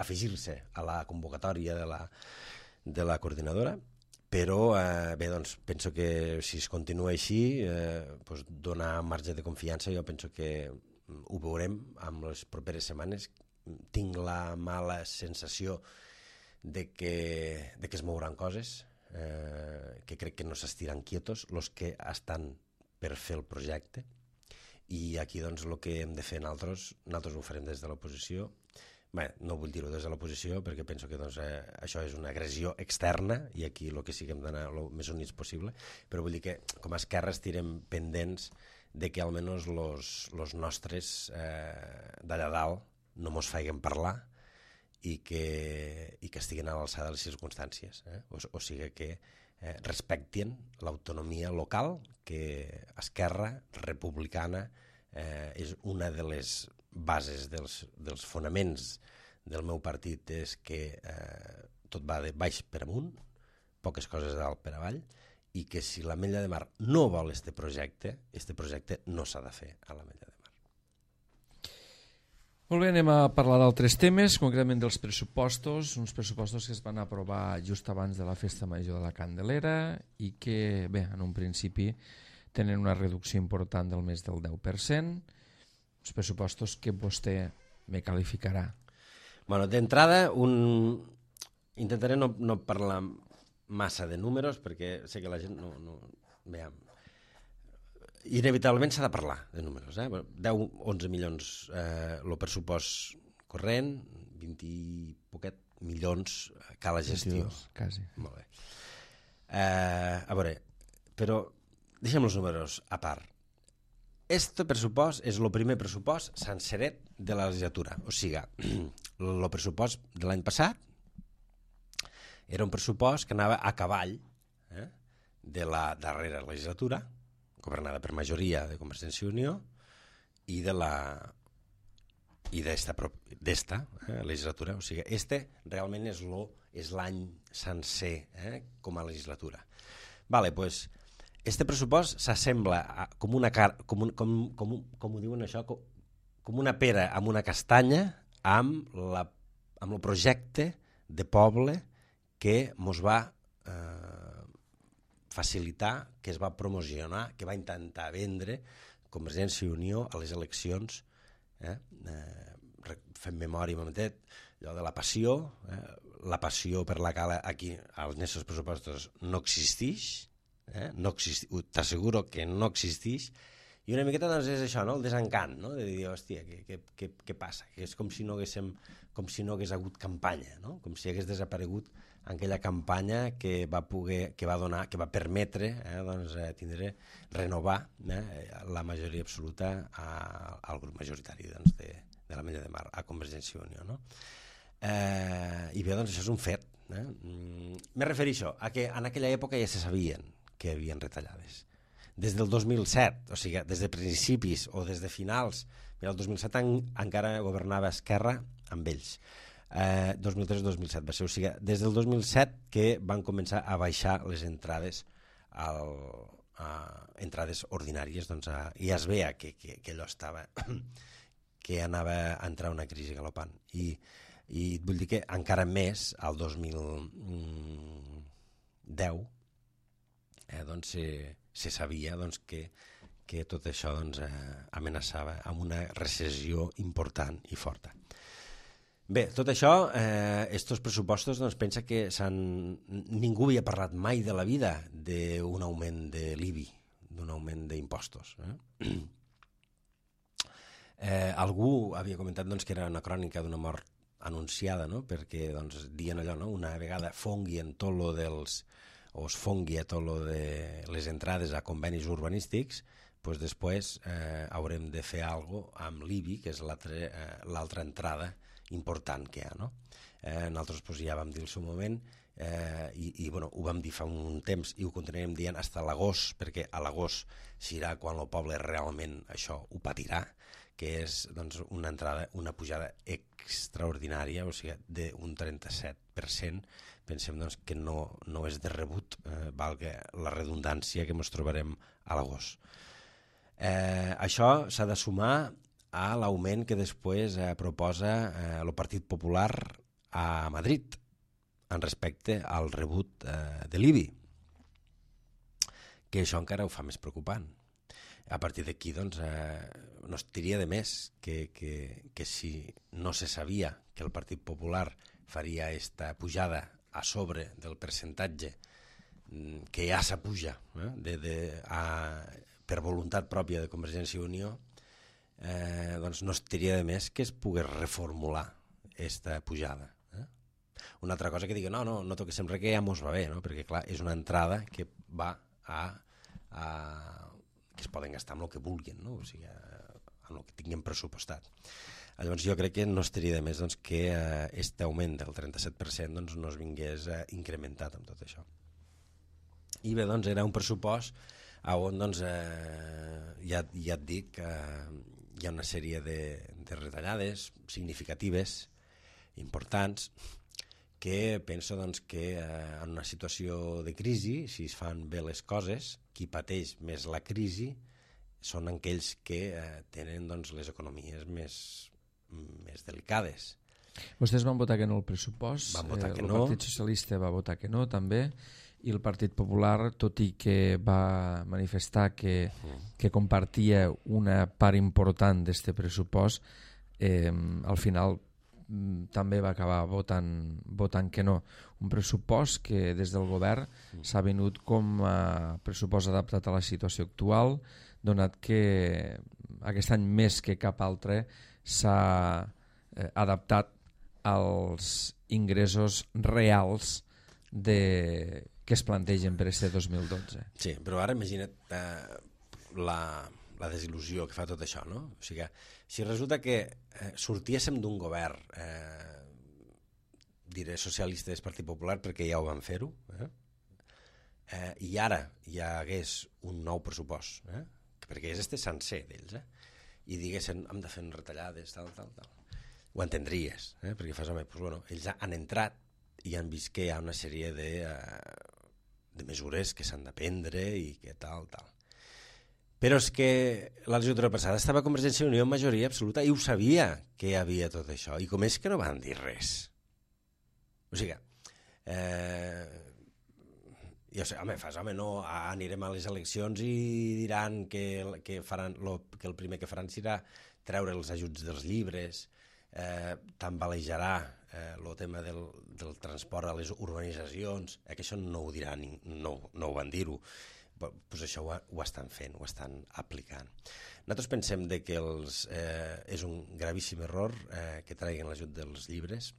afegir-se a la convocatòria de la coordinadora, però bé, doncs, penso que si es continua així, donar marge de confiança, jo penso que ho veurem en les properes setmanes. Tinc la mala sensació de que es mouran coses, que crec que no s'estiran quietos els que estan per fer el projecte, i aquí doncs el que hem de fer nosaltres ho farem des de l'oposició. Bé, no vull dir-ho des de l'oposició perquè penso que doncs, això és una agressió externa i aquí el que sí que hem d'anar el més units possible, però vull dir que com a Esquerra estirem pendents de que almenys los nostres d'allà dalt no mos feien parlar i que estiguen a l'alçada de les circumstàncies. O sigui que respectin l'autonomia local, que Esquerra Republicana és una de les bases dels fonaments del meu partit, és que tot va de baix per amunt, poques coses de dalt per avall, i que si l'Ametlla de Mar no vol este projecte no s'ha de fer a l'Ametlla de Mar. Molt bé, anem a parlar d'altres temes, concretament dels pressupostos, uns pressupostos que es van aprovar just abans de la Festa Major de la Candelera i que, bé, en un principi tenen una reducció important del més del 10%, uns pressupostos que vostè me qualificarà. Bueno, d'entrada, intentaré no parlar massa de números perquè sé que la gent no... Veiem. Inevitablement s'ha de parlar de números. 10-11 milions el pressupost corrent, 20 i poquet milions cal la gestió. 22, quasi. Molt bé. A veure, però deixem els números a part. Este pressupost és el primer pressupost senceret de la legislatura. O sigui, el pressupost de l'any passat era un pressupost que anava a cavall de la darrera legislatura, governada per majoria de Convergència i Unió, i d'esta legislatura. O sigui, realment és l'any sencer com a legislatura. Vale, pues, este pressupost s'assembla com una com ho diuen això, com una pera amb una castanya amb el projecte de poble que mos va facilitar, que es va promocionar, que va intentar vendre Convergència i Unió a les eleccions. Fem memòria un momentet, allò de la passió per la cala aquí als nostres pressupostos no existeix, t'asseguro que no existeix, i una miqueta doncs és això, el desencant, de dir, hòstia, què passa? Que és com si no hagués hagut campanya, com si hagués desaparegut aquella campanya que va permetre renovar la majoria absoluta al grup majoritari de l'Ametlla de Mar, a Convergència i Unió. I bé, doncs això és un fet. Me refereixo a que en aquella època ja se sabien que hi havia retallades. Des del 2007, o sigui, des de principis o des de finals, el 2007 encara governava Esquerra amb ells. 2003-2007 va ser, o sigui, des del 2007 que van començar a baixar les entrades entrades ordinàries, doncs i es veia que allò estava que anava a entrar una crisi galopant i vull dir que encara més al 2010 doncs se sabia que tot això amenaçava amb una recessió important i forta. Bé, tot això, estos pressupostos, pensa que ningú havia parlat mai de la vida d'un augment de l'IBI, d'un augment d'impostos. Algú havia comentat que era una crònica d'una mort anunciada, perquè dient allò, una vegada fonguien tot lo dels o es fongui a tot lo de les entrades a convenis urbanístics, doncs després haurem de fer alguna cosa amb l'IBI, que és l'altra entrada important que hi ha. Nosaltres ja vam dir al seu moment i ho vam dir fa un temps i ho continuarem dient fins a l'agost, perquè a l'agost serà quan el poble realment això ho patirà, que és una entrada, una pujada extraordinària, o sigui, d'un 37%. Pensem que no és de rebut, valga la redundància, que ens trobarem a l'agost. Això s'ha de sumar a l'augment que després proposa el Partit Popular a Madrid en respecte al rebut de l'IBI, que això encara ho fa més preocupant. A partir d'aquí no es diria de més que si no se sabia que el Partit Popular faria aquesta pujada a sobre del percentatge que ja s'apuja per voluntat pròpia de Convergència i Unió, doncs no es diria de més que es pogués reformular aquesta pujada. Una altra cosa que digui, no toquéssim res, que ja mos va bé, perquè clar, és una entrada que va a que es poden gastar amb el que vulguin, no? O sigui, amb el que tinguin pressupostat. Llavors jo crec que no estaria de més doncs, que aquest augment del 37% doncs, no es vingués incrementat amb tot això. I bé, doncs era un pressupost on doncs, ja et dic que hi ha una sèrie de retallades significatives, importants, que penso doncs, que en una situació de crisi, si es fan bé les coses, qui pateix més la crisi són aquells que tenen doncs, les economies més delicades. Vostès van votar que no al pressupost, Van votar que el no. Partit Socialista va votar que no també, i el Partit Popular, tot i que va manifestar que compartia una part important d'aquest pressupost, al final també va acabar votant que no. Un pressupost que des del govern s'ha venut com a pressupost adaptat a la situació actual, donat que aquest any més que cap altre s'ha adaptat als ingressos reals que es plantegen per aquest 2012. Sí, però ara imagina't la desil·lusió que fa tot això, no? O sigui, si resulta que sortíssim d'un govern, diré socialista del Partit Popular perquè ja ho van fer-ho, i ara hi hagués un nou pressupost, perquè és este sencer d'ells, i diguessin hem de fer retallades, tal, ho entendries, perquè fas, home, doncs, bueno, ells han entrat i han vist que hi ha una sèrie de mesures que s'han de prendre i que tal. Però és que la legislatura passada estava Convergència i Unió en majoria absoluta i ho sabia que hi havia tot això. I com és que no van dir res? O sigui, no, anirem a les eleccions i diran que el primer que faran serà treure els ajuts dels llibres, tambalejarà el tema del transport a les urbanitzacions, que això no ho diran, no ho van dir-ho. Pues això ho estan fent, ho estan aplicant. Nosaltres pensem que és un gravíssim error que traguin l'ajut dels llibres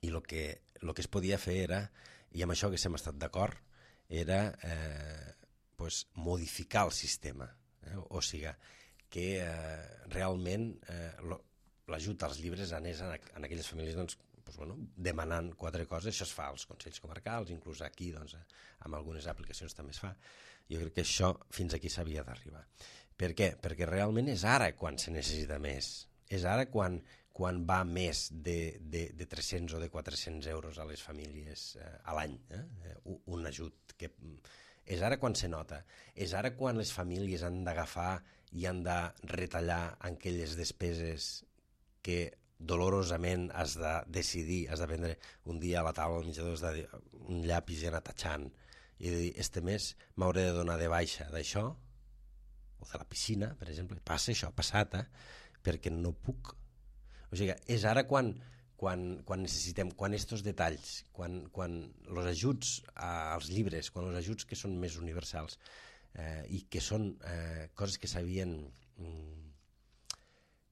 i el que es podia fer era, i amb això que hem estat d'acord, era modificar el sistema. O sigui, que realment l'ajut als llibres anés en aquelles famílies doncs, demanant 4 coses. Això es fa als consells comarcals, inclús aquí amb algunes aplicacions també es fa. Jo crec que això fins aquí s'havia d'arribar. Per què? Perquè realment és ara quan se necessita més. És ara quan va més de 300 o de 400 euros a les famílies a l'any, un ajut. És ara quan se nota. És ara quan les famílies han d'agafar i han de retallar aquelles despeses que dolorosament has de decidir, has de prendre un dia a la taula al menjador, has de dir un llapis i anar tatxant i dir, este mes m'hauré de donar de baixa d'això o de la piscina, per exemple, passa això, ha passat, perquè no puc. O sigui, és ara quan necessitem, quan estos detalls, quan els ajuts als llibres, quan els ajuts que són més universals i que són coses que s'havien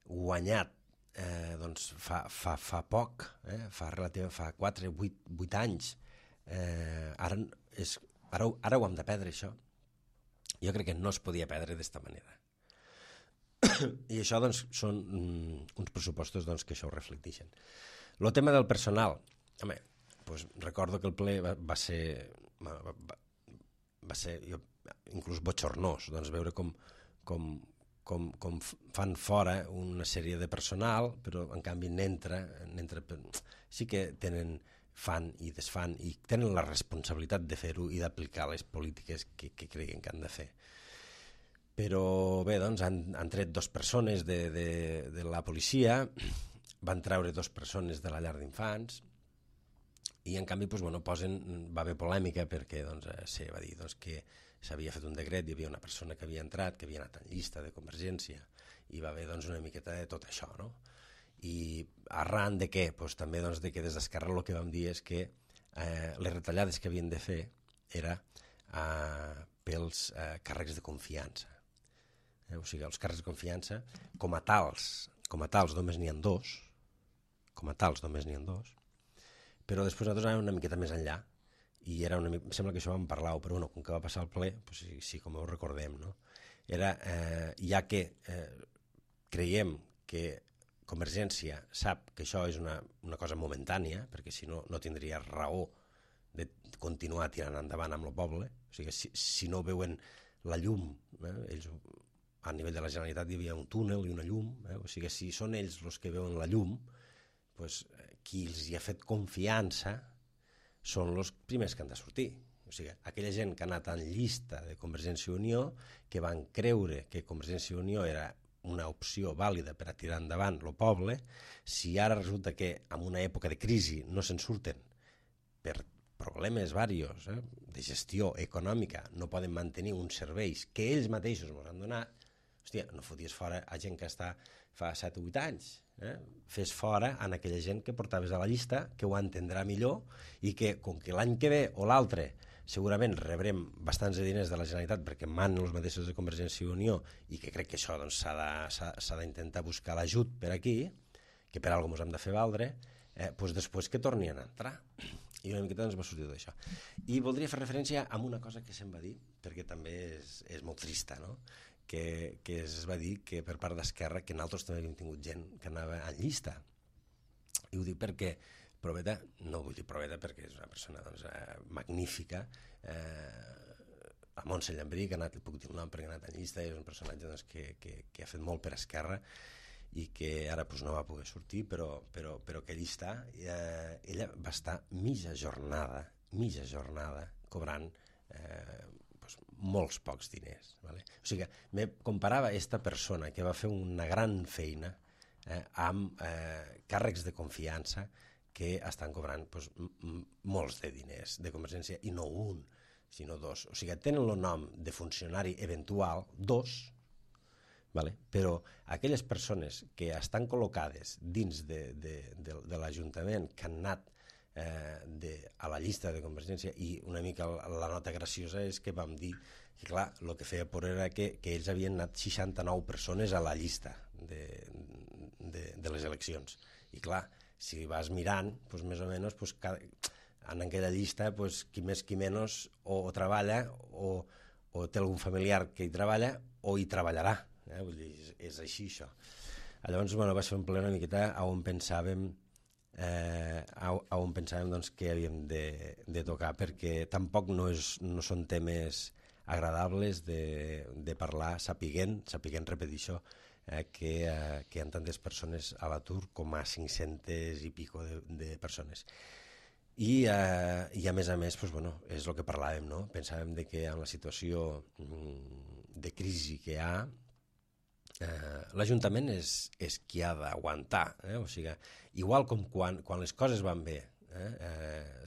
guanyat doncs fa poc, fa 4, 8 anys, ara ho hem de perdre, això. Jo crec que no es podia perdre d'esta manera. I això doncs, són uns pressupostos doncs, que això ho reflecteixen. El tema del personal, home, doncs, recordo que el ple va ser inclús bochornós, doncs, veure com fan fora una sèrie de personal, però en canvi sí que fan i desfan i tenen la responsabilitat de fer-ho i d'aplicar les polítiques que creguin que han de fer. Però bé, doncs han tret 2 persones de la policia, van treure 2 persones de la llar d'infants i en canvi va haver polèmica perquè se va dir que s'havia fet un decret, hi havia una persona que havia entrat, que havia anat en llista de Convergència, i va haver una miqueta de tot això, no? I arran de què? També de que des d'Esquerra el que vam dir és que les retallades que havien de fer era pels càrrecs de confiança. O sigui, els càrrecs de confiança, com a tals només n'hi ha 2, però després nosaltres anàvem una miqueta més enllà, i em sembla que això vam parlar-ho, però com que va passar al ple, sí, com ho recordem, no? era, ja que creiem que Convergència sap que això és una cosa momentània, perquè si no, no tindria raó de continuar tirant endavant amb el poble. O sigui, si no veuen la llum, ells, a nivell de la Generalitat hi havia un túnel i una llum, o sigui, si són ells els que veuen la llum, doncs, qui els hi ha fet confiança són els primers que han de sortir. O sigui, aquella gent que ha anat en llista de Convergència i Unió, que van creure que Convergència i Unió era una opció vàlida per a tirar endavant el poble, si ara resulta que en una època de crisi no se'n surten per problemes diversos, de gestió econòmica, no poden mantenir uns serveis que ells mateixos ens han donat, hòstia, no foties fora a gent que està fa 7 o 8 anys, fes fora en aquella gent que portaves a la llista, que ho entendrà millor i que, com que l'any que ve o l'altre segurament rebrem bastants de diners de la Generalitat perquè manen els mateixos de Convergència i Unió i que crec que això doncs, s'ha d'intentar buscar l'ajut per aquí, que per alguna cosa ens hem de fer valdre, doncs després que tornin a entrar. I una miqueta ens va sortir d'això. I voldria fer referència a una cosa que se'm va dir, perquè també és molt trista, no? Que es va dir que per part d'Esquerra que nosaltres també havíem tingut gent que anava en llista. I ho dic perquè Proveta, no vull dir Proveta perquè és una persona doncs, magnífica, a Montse Llambrí, que ha anat, puc dir el nom perquè ha anat en llista, és un personatge doncs, que ha fet molt per Esquerra i que ara doncs, no va poder sortir, però que allí està. Ella va estar mitja jornada cobrant doncs, molts pocs diners. Vale? O sigui, me comparava aquesta persona que va fer una gran feina amb càrrecs de confiança que estan cobrant doncs, molts de diners de Convergència, i no un, sinó dos. O sigui, tenen el nom de funcionari eventual, dos, vale? Però aquelles persones que estan col·locades dins de l'Ajuntament, que han anat a la llista de Convergència, i una mica la nota graciosa és que vam dir que clar, el que feia por era que ells havien anat 69 persones a la llista de les eleccions, i clar, si vas mirant, doncs més o menys doncs, en aquella llista doncs, qui més qui menys o treballa o té algun familiar que hi treballa o hi treballarà. Vull dir, és així això. Llavors bueno, va ser un ple una miqueta on pensàvem doncs, que havíem de tocar, perquè tampoc no són temes agradables de parlar sapiguent, repetir això, que hi ha tantes persones a l'atur com a 500 i pico de persones. I a més, doncs, bueno, és el que parlàvem, no? Pensàvem que en la situació de crisi que hi ha, l'Ajuntament és qui ha d'aguantar. O sigui, igual com quan les coses van bé,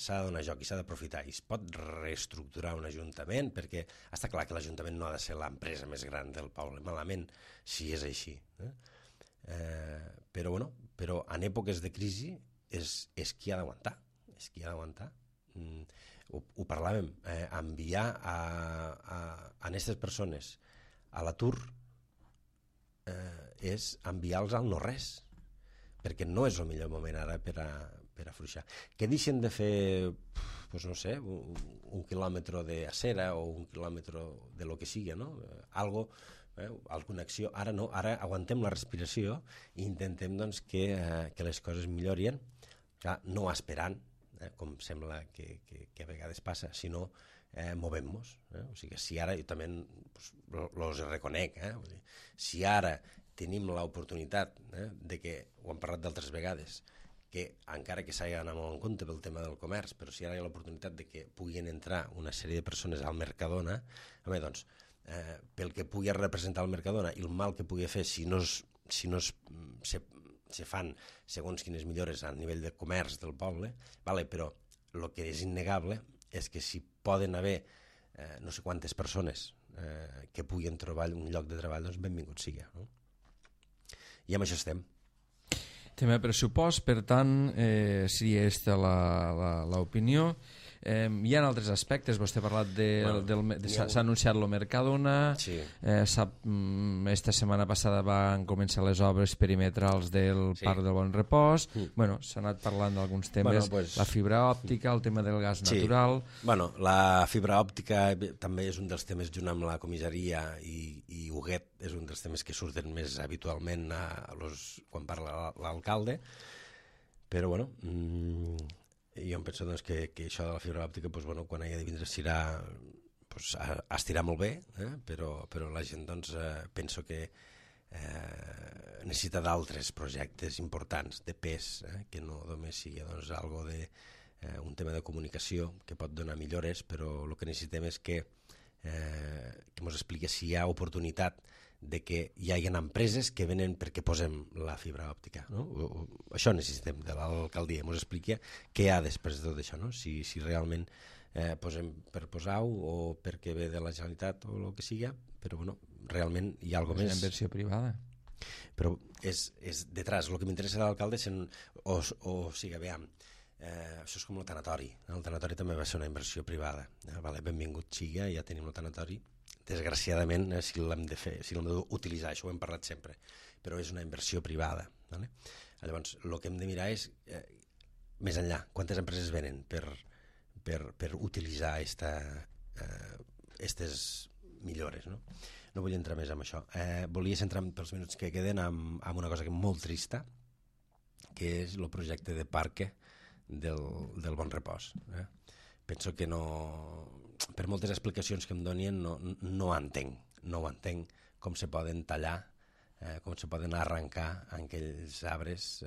s'ha de donar joc i s'ha d'aprofitar i es pot reestructurar un ajuntament, perquè està clar que l'Ajuntament no ha de ser l'empresa més gran del poble, malament si és així. Però en èpoques de crisi és qui ha d'aguantar. És qui ha d'aguantar. Ho parlàvem, enviar a aquestes persones a l'atur és enviar-los al no-res, perquè no és el millor moment ara per afluixar. Que deixen de fer, doncs no sé, un quilòmetre d'acera o un quilòmetre de lo que sigui, no? Alguna acció. Ara no, ara aguantem la respiració i intentem doncs, que les coses millorin, clar, no esperant, com sembla que a vegades passa, sinó movem-nos. O sigui, si ara, jo també els reconec, si ara tenim l'oportunitat de que, ho hem parlat d'altres vegades, que encara que s'hagi d'anar molt en compte pel tema del comerç, però si ara hi ha l'oportunitat de que puguin entrar una sèrie de persones al Mercadona, doncs, pel que pugui representar el Mercadona i el mal que pugui fer si no se fan segons quines millores a nivell de comerç del poble, però el que és innegable és que si poden haver no sé quantes persones que puguin trobar un lloc de treball, doncs benvingut sigui. No? I amb això estem. Tema pressupost, per tant, seria aquesta l'opinió. Hi ha altres aspectes, vostè ha parlat s'ha anunciat el Mercadona, esta setmana passada van començar les obres perimetrals del Parc del Bon Repòs, s'ha anat parlant d'alguns temes, la fibra òptica, el tema del gas natural... La fibra òptica també és un dels temes, junt amb la comissaria i Huguet, és un dels temes que surten més habitualment quan parla l'alcalde, però jo em penso que això de la fibra òptica quan hagi de vindre estirà molt bé, però la gent penso que necessita d'altres projectes importants de pes, que no només sigui algo de un tema de comunicació que pot donar millores, però el que necessitem és que ens expliqui si hi ha oportunitat de que hi hagi empreses que venen perquè posem la fibra òptica. Això necessitem de l'alcaldia, ens expliqui què hi ha després de tot això, si realment posem per posar-ho o perquè ve de la Generalitat o el que sigui, però realment hi ha alguna cosa més. És una inversió privada. Però és detrás, el que m'interessa de l'alcalde és això és com el tanatori. El tanatori també va ser una inversió privada. Benvingut sigui, ja tenim el tanatori. Desgraciadament, si l'hem d'utilitzar, això ho hem parlat sempre, però és una inversió privada. Llavors, el que hem de mirar és, més enllà, quantes empreses venen per utilitzar aquestes millores. No vull entrar més en això. Volia centrar pels minuts que queden en una cosa molt trista, que és el projecte de parc del Bon Repòs. Penso que per moltes explicacions que em donien no ho entenc com se poden tallar, com se poden arrencar aquells arbres,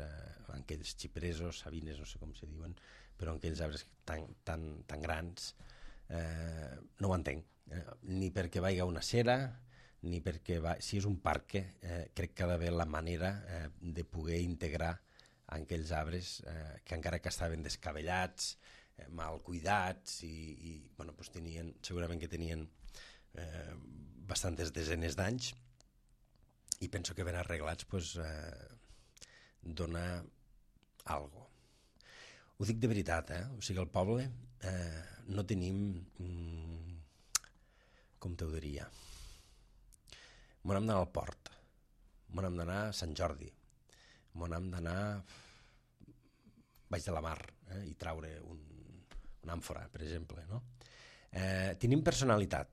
aquells xipresos, sabines, no sé com se diuen, però aquells arbres tan grans, no ho entenc, ni perquè vagi una cera, ni perquè si és un parc, crec que ha d'haver la manera de poder integrar aquells arbres que encara que estaven descabellats, mal cuidats i segurament que tenien bastantes desenes d'anys, i penso que ben arreglats dona algo. Ho dic de veritat, o sigui, al poble no tenim, com t'ho diria, m'on hem d'anar al port, m'on hem d'anar a Sant Jordi, m'on hem d'anar baix de la mar i traure una àmfora, per exemple. Tenim personalitat,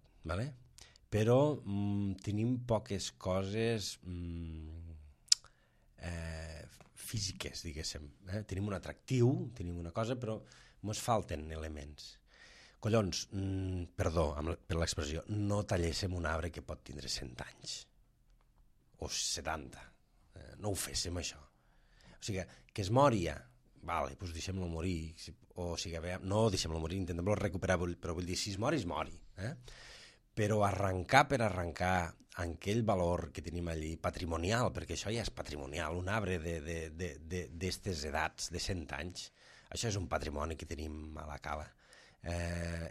però tenim poques coses físiques, diguéssim. Tenim un atractiu, tenim una cosa, però ens falten elements. Collons, perdó per l'expressió, no talléssim un arbre que pot tindre 100 anys o 70. No ho féssim, això. O sigui, que es moria, doncs deixem-lo morir, o sigui, no deixem-lo morir, intentem-lo recuperar, però vull dir, si es mori, es mori. Però arrencar per arrencar aquell valor que tenim allí, patrimonial, perquè això ja és patrimonial, un arbre d'estes edats, de 100 anys, això és un patrimoni que tenim a la cala.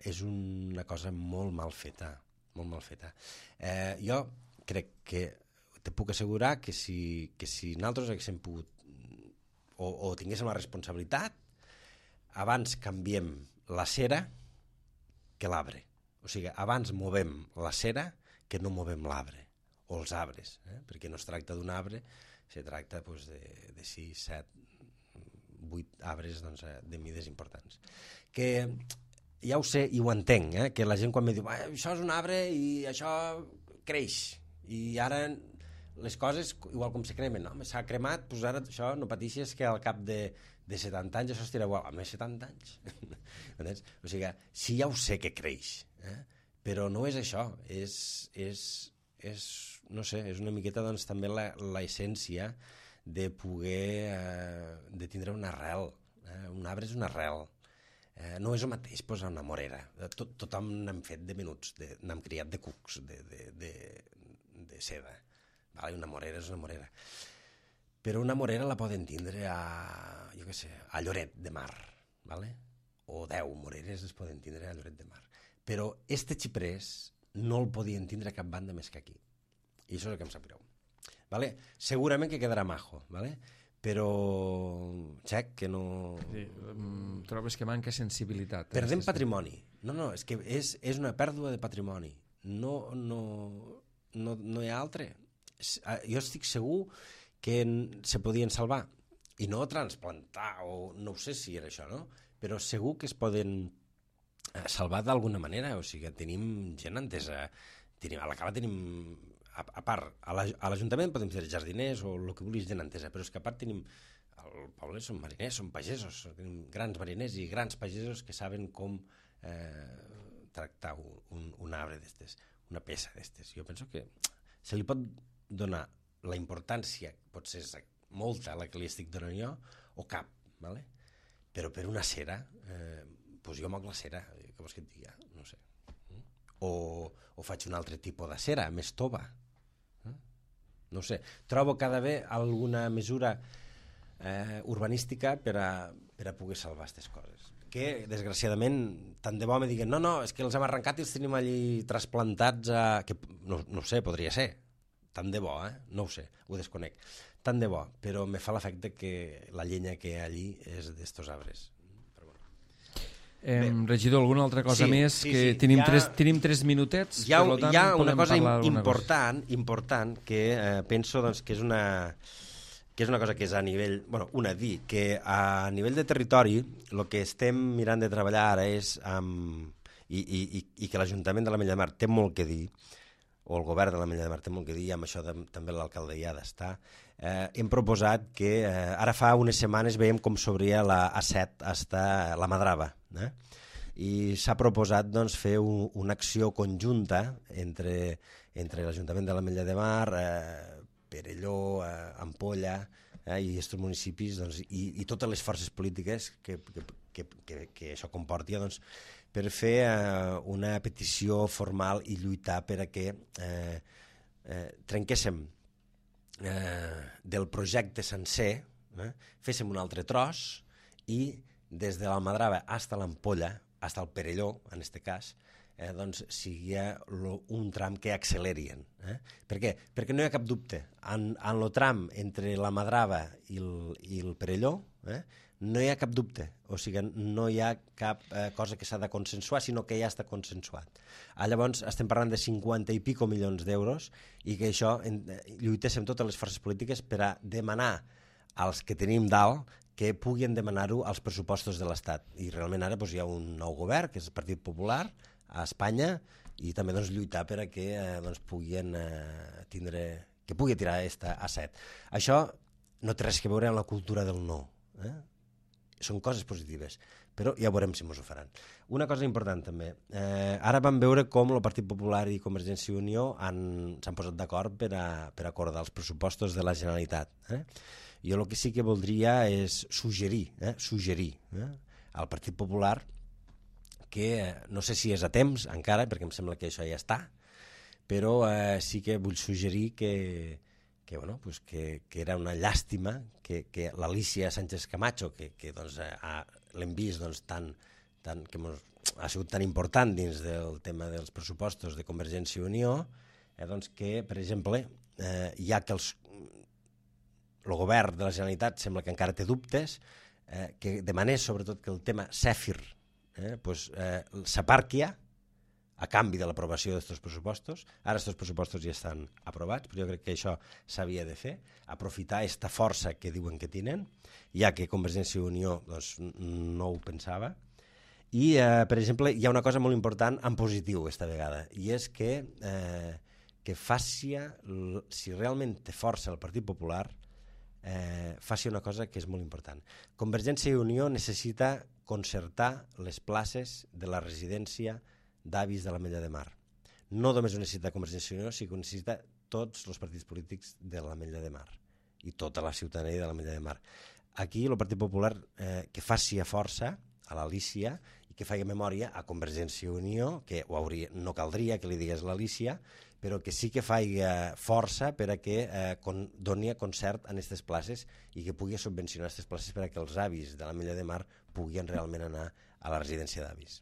És una cosa molt mal feta, molt mal feta. Jo crec que te puc assegurar que si nosaltres haguéssim pogut o tinguéssim la responsabilitat, abans canviem la cera que l'arbre. O sigui, abans movem la cera que no movem l'arbre, o els arbres, perquè no es tracta d'un arbre, se tracta de 6, 7, 8 arbres de mides importants. Que ja ho sé i ho entenc, que la gent quan me diu això és un arbre i això creix, i ara les coses, igual com se cremen, s'ha cremat, doncs ara això no pateixes que al cap de 70 anys això estirà igual, a més 70 anys. O sigui, sí, ja ho sé que creix, però no és això, no sé, és una miqueta també l'essència de poder, de tindre una arrel. Un arbre és una arrel. No és el mateix posar una morera. Tothom n'hem fet de menuts, n'hem criat de cucs, de seda. Una morera és una morera. Però una morera la poden tindre a Lloret de Mar, o 10 moreres es poden tindre a Lloret de Mar. Però este xiprés no el podien tindre a cap banda més que aquí. I això és el que em sap greu. Segurament que quedarà majo, però xec que no... Sí, trobes que manca sensibilitat. Perdem patrimoni. No, és que és una pèrdua de patrimoni. No hi ha altre. Jo estic segur que se podien salvar i no transplantar, o no ho sé si era això, no? Però segur que es poden salvar d'alguna manera. O sigui, tenim gent entesa. A la cala tenim... A part, a l'Ajuntament podem ser jardiners o el que vulguis, gent entesa, però és que a part tenim... Al poble són mariners, són pagesos, tenim grans mariners i grans pagesos que saben com tractar un arbre d'estes, una peça d'estes. Jo penso que se li pot donar la importància, potser és molta la que li estic donant jo, o cap, ¿vale? Però per una cera, doncs jo moc la cera, què vols que et digui? No sé. O faig un altre tipus de cera, més tova. No sé. Trobo cada vegada alguna mesura urbanística per a poder salvar aquestes coses. Que, desgraciadament, tant de bo me diguen no, és que els hem arrencat i els tenim allí trasplantats a... Que, no ho sé, podria ser. Tant de bo, no ho sé, ho desconec. Tant de bo, però me fa l'efecte que la llenya que hi ha allí és d'estos arbres. Regidor, alguna altra cosa més? Sí. Tenim 3 minutets. Hi ha una cosa important que penso doncs, que és una cosa que és a nivell... dir que a nivell de territori el que estem mirant de treballar ara és i que l'Ajuntament de l'Ametlla de Mar té molt que dir, o el govern de l'Ametlla de Mar té molt que dir, i amb això també l'alcalde hi ha d'estar. Hem proposat que ara fa unes setmanes veiem com s'obria la A7 hasta la Madrava, i s'ha proposat doncs, fer una acció conjunta entre l'Ajuntament de l'Ametlla de Mar, Perelló, Ampolla i aquests municipis, doncs, i totes les forces polítiques que això comporti, doncs, per fer una petició formal i lluitar per a que trenquéssim del projecte sencer, féssim un altre tros i des de l'Almadrava fins a l'Ampolla, fins al Perelló, en aquest cas, doncs sigui un tram que accelerien. Per què? Perquè no hi ha cap dubte. En el tram entre la Madrava i el Perelló no hi ha cap dubte. O sigui, no hi ha cap cosa que s'ha de consensuar, sinó que ja està consensuat. Llavors, estem parlant de 50 i pico milions d'euros i que això lluitéssim totes les forces polítiques per a demanar als que tenim dalt que puguin demanar-ho als pressupostos de l'Estat. I realment ara hi ha un nou govern, que és el Partit Popular, a Espanya, i també lluitar per a que puguin tindre... que pugui tirar aquesta A7. Això no té res a veure amb la cultura del no. Són coses positives, però ja veurem si ens ho faran. Una cosa important també. Ara vam veure com el Partit Popular i Convergència i Unió s'han posat d'acord per acordar els pressupostos de la Generalitat. Jo el que sí que voldria és suggerir al Partit Popular que no sé si és a temps encara, perquè em sembla que això ja està, però sí que vull suggerir que era una llàstima que l'Alícia Sánchez Camacho, que l'hem vist que ha sigut tan important dins del tema dels pressupostos de Convergència i Unió, que, per exemple, ja que el govern de la Generalitat sembla que encara té dubtes, que demanés sobretot que el tema Cèfir s'aparqui a canvi de l'aprovació d'aquests pressupostos. Ara aquests pressupostos ja estan aprovats, però jo crec que això s'havia de fer, aprofitar aquesta força que diuen que tenen, ja que Convergència i Unió no ho pensava. I, per exemple, hi ha una cosa molt important en positiu aquesta vegada, i és que faci, si realment té força el Partit Popular, faci una cosa que és molt important. Convergència i Unió necessita concertar les places de la residència d'avis de l'Ametlla de Mar. No només ho necessita Convergència i Unió, sinó que ho necessita tots els partits polítics de l'Ametlla de Mar i tota la ciutadania de l'Ametlla de Mar. Aquí el Partit Popular que faci a força a l'Alícia i que faci memòria a Convergència i Unió, que no caldria que li digués l'Alícia, però que sí que faci força per a que doni concert en aquestes places i que pugui subvencionar aquestes places per a que els avis de l'Ametlla de Mar puguin realment anar a la residència d'avis.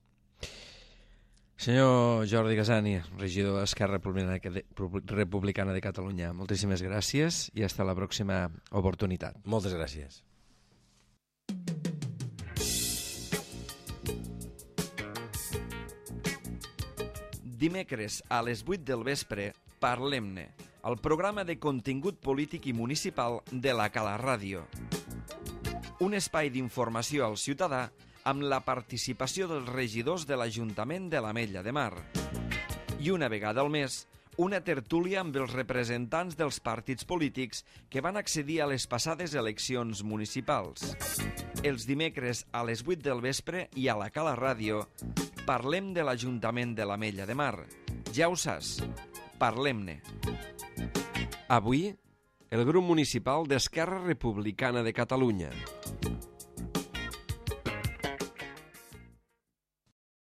Senyor Jordi Casani, regidor d'Esquerra Republicana de Catalunya, moltíssimes gràcies i fins a la pròxima oportunitat. Moltes gràcies. Dimecres a les 8 del vespre, Parlem-ne, el programa de contingut polític i municipal de la Cala Ràdio. Un espai d'informació al ciutadà amb la participació dels regidors de l'Ajuntament de l'Ametlla de Mar. I una vegada al mes, una tertúlia amb els representants dels partits polítics que van accedir a les passades eleccions municipals. Els dimecres a les 8 del vespre i a la Cala Ràdio parlem de l'Ajuntament de l'Ametlla de Mar. Ja ho saps, parlem-ne. Avui, el grup municipal d'Esquerra Republicana de Catalunya.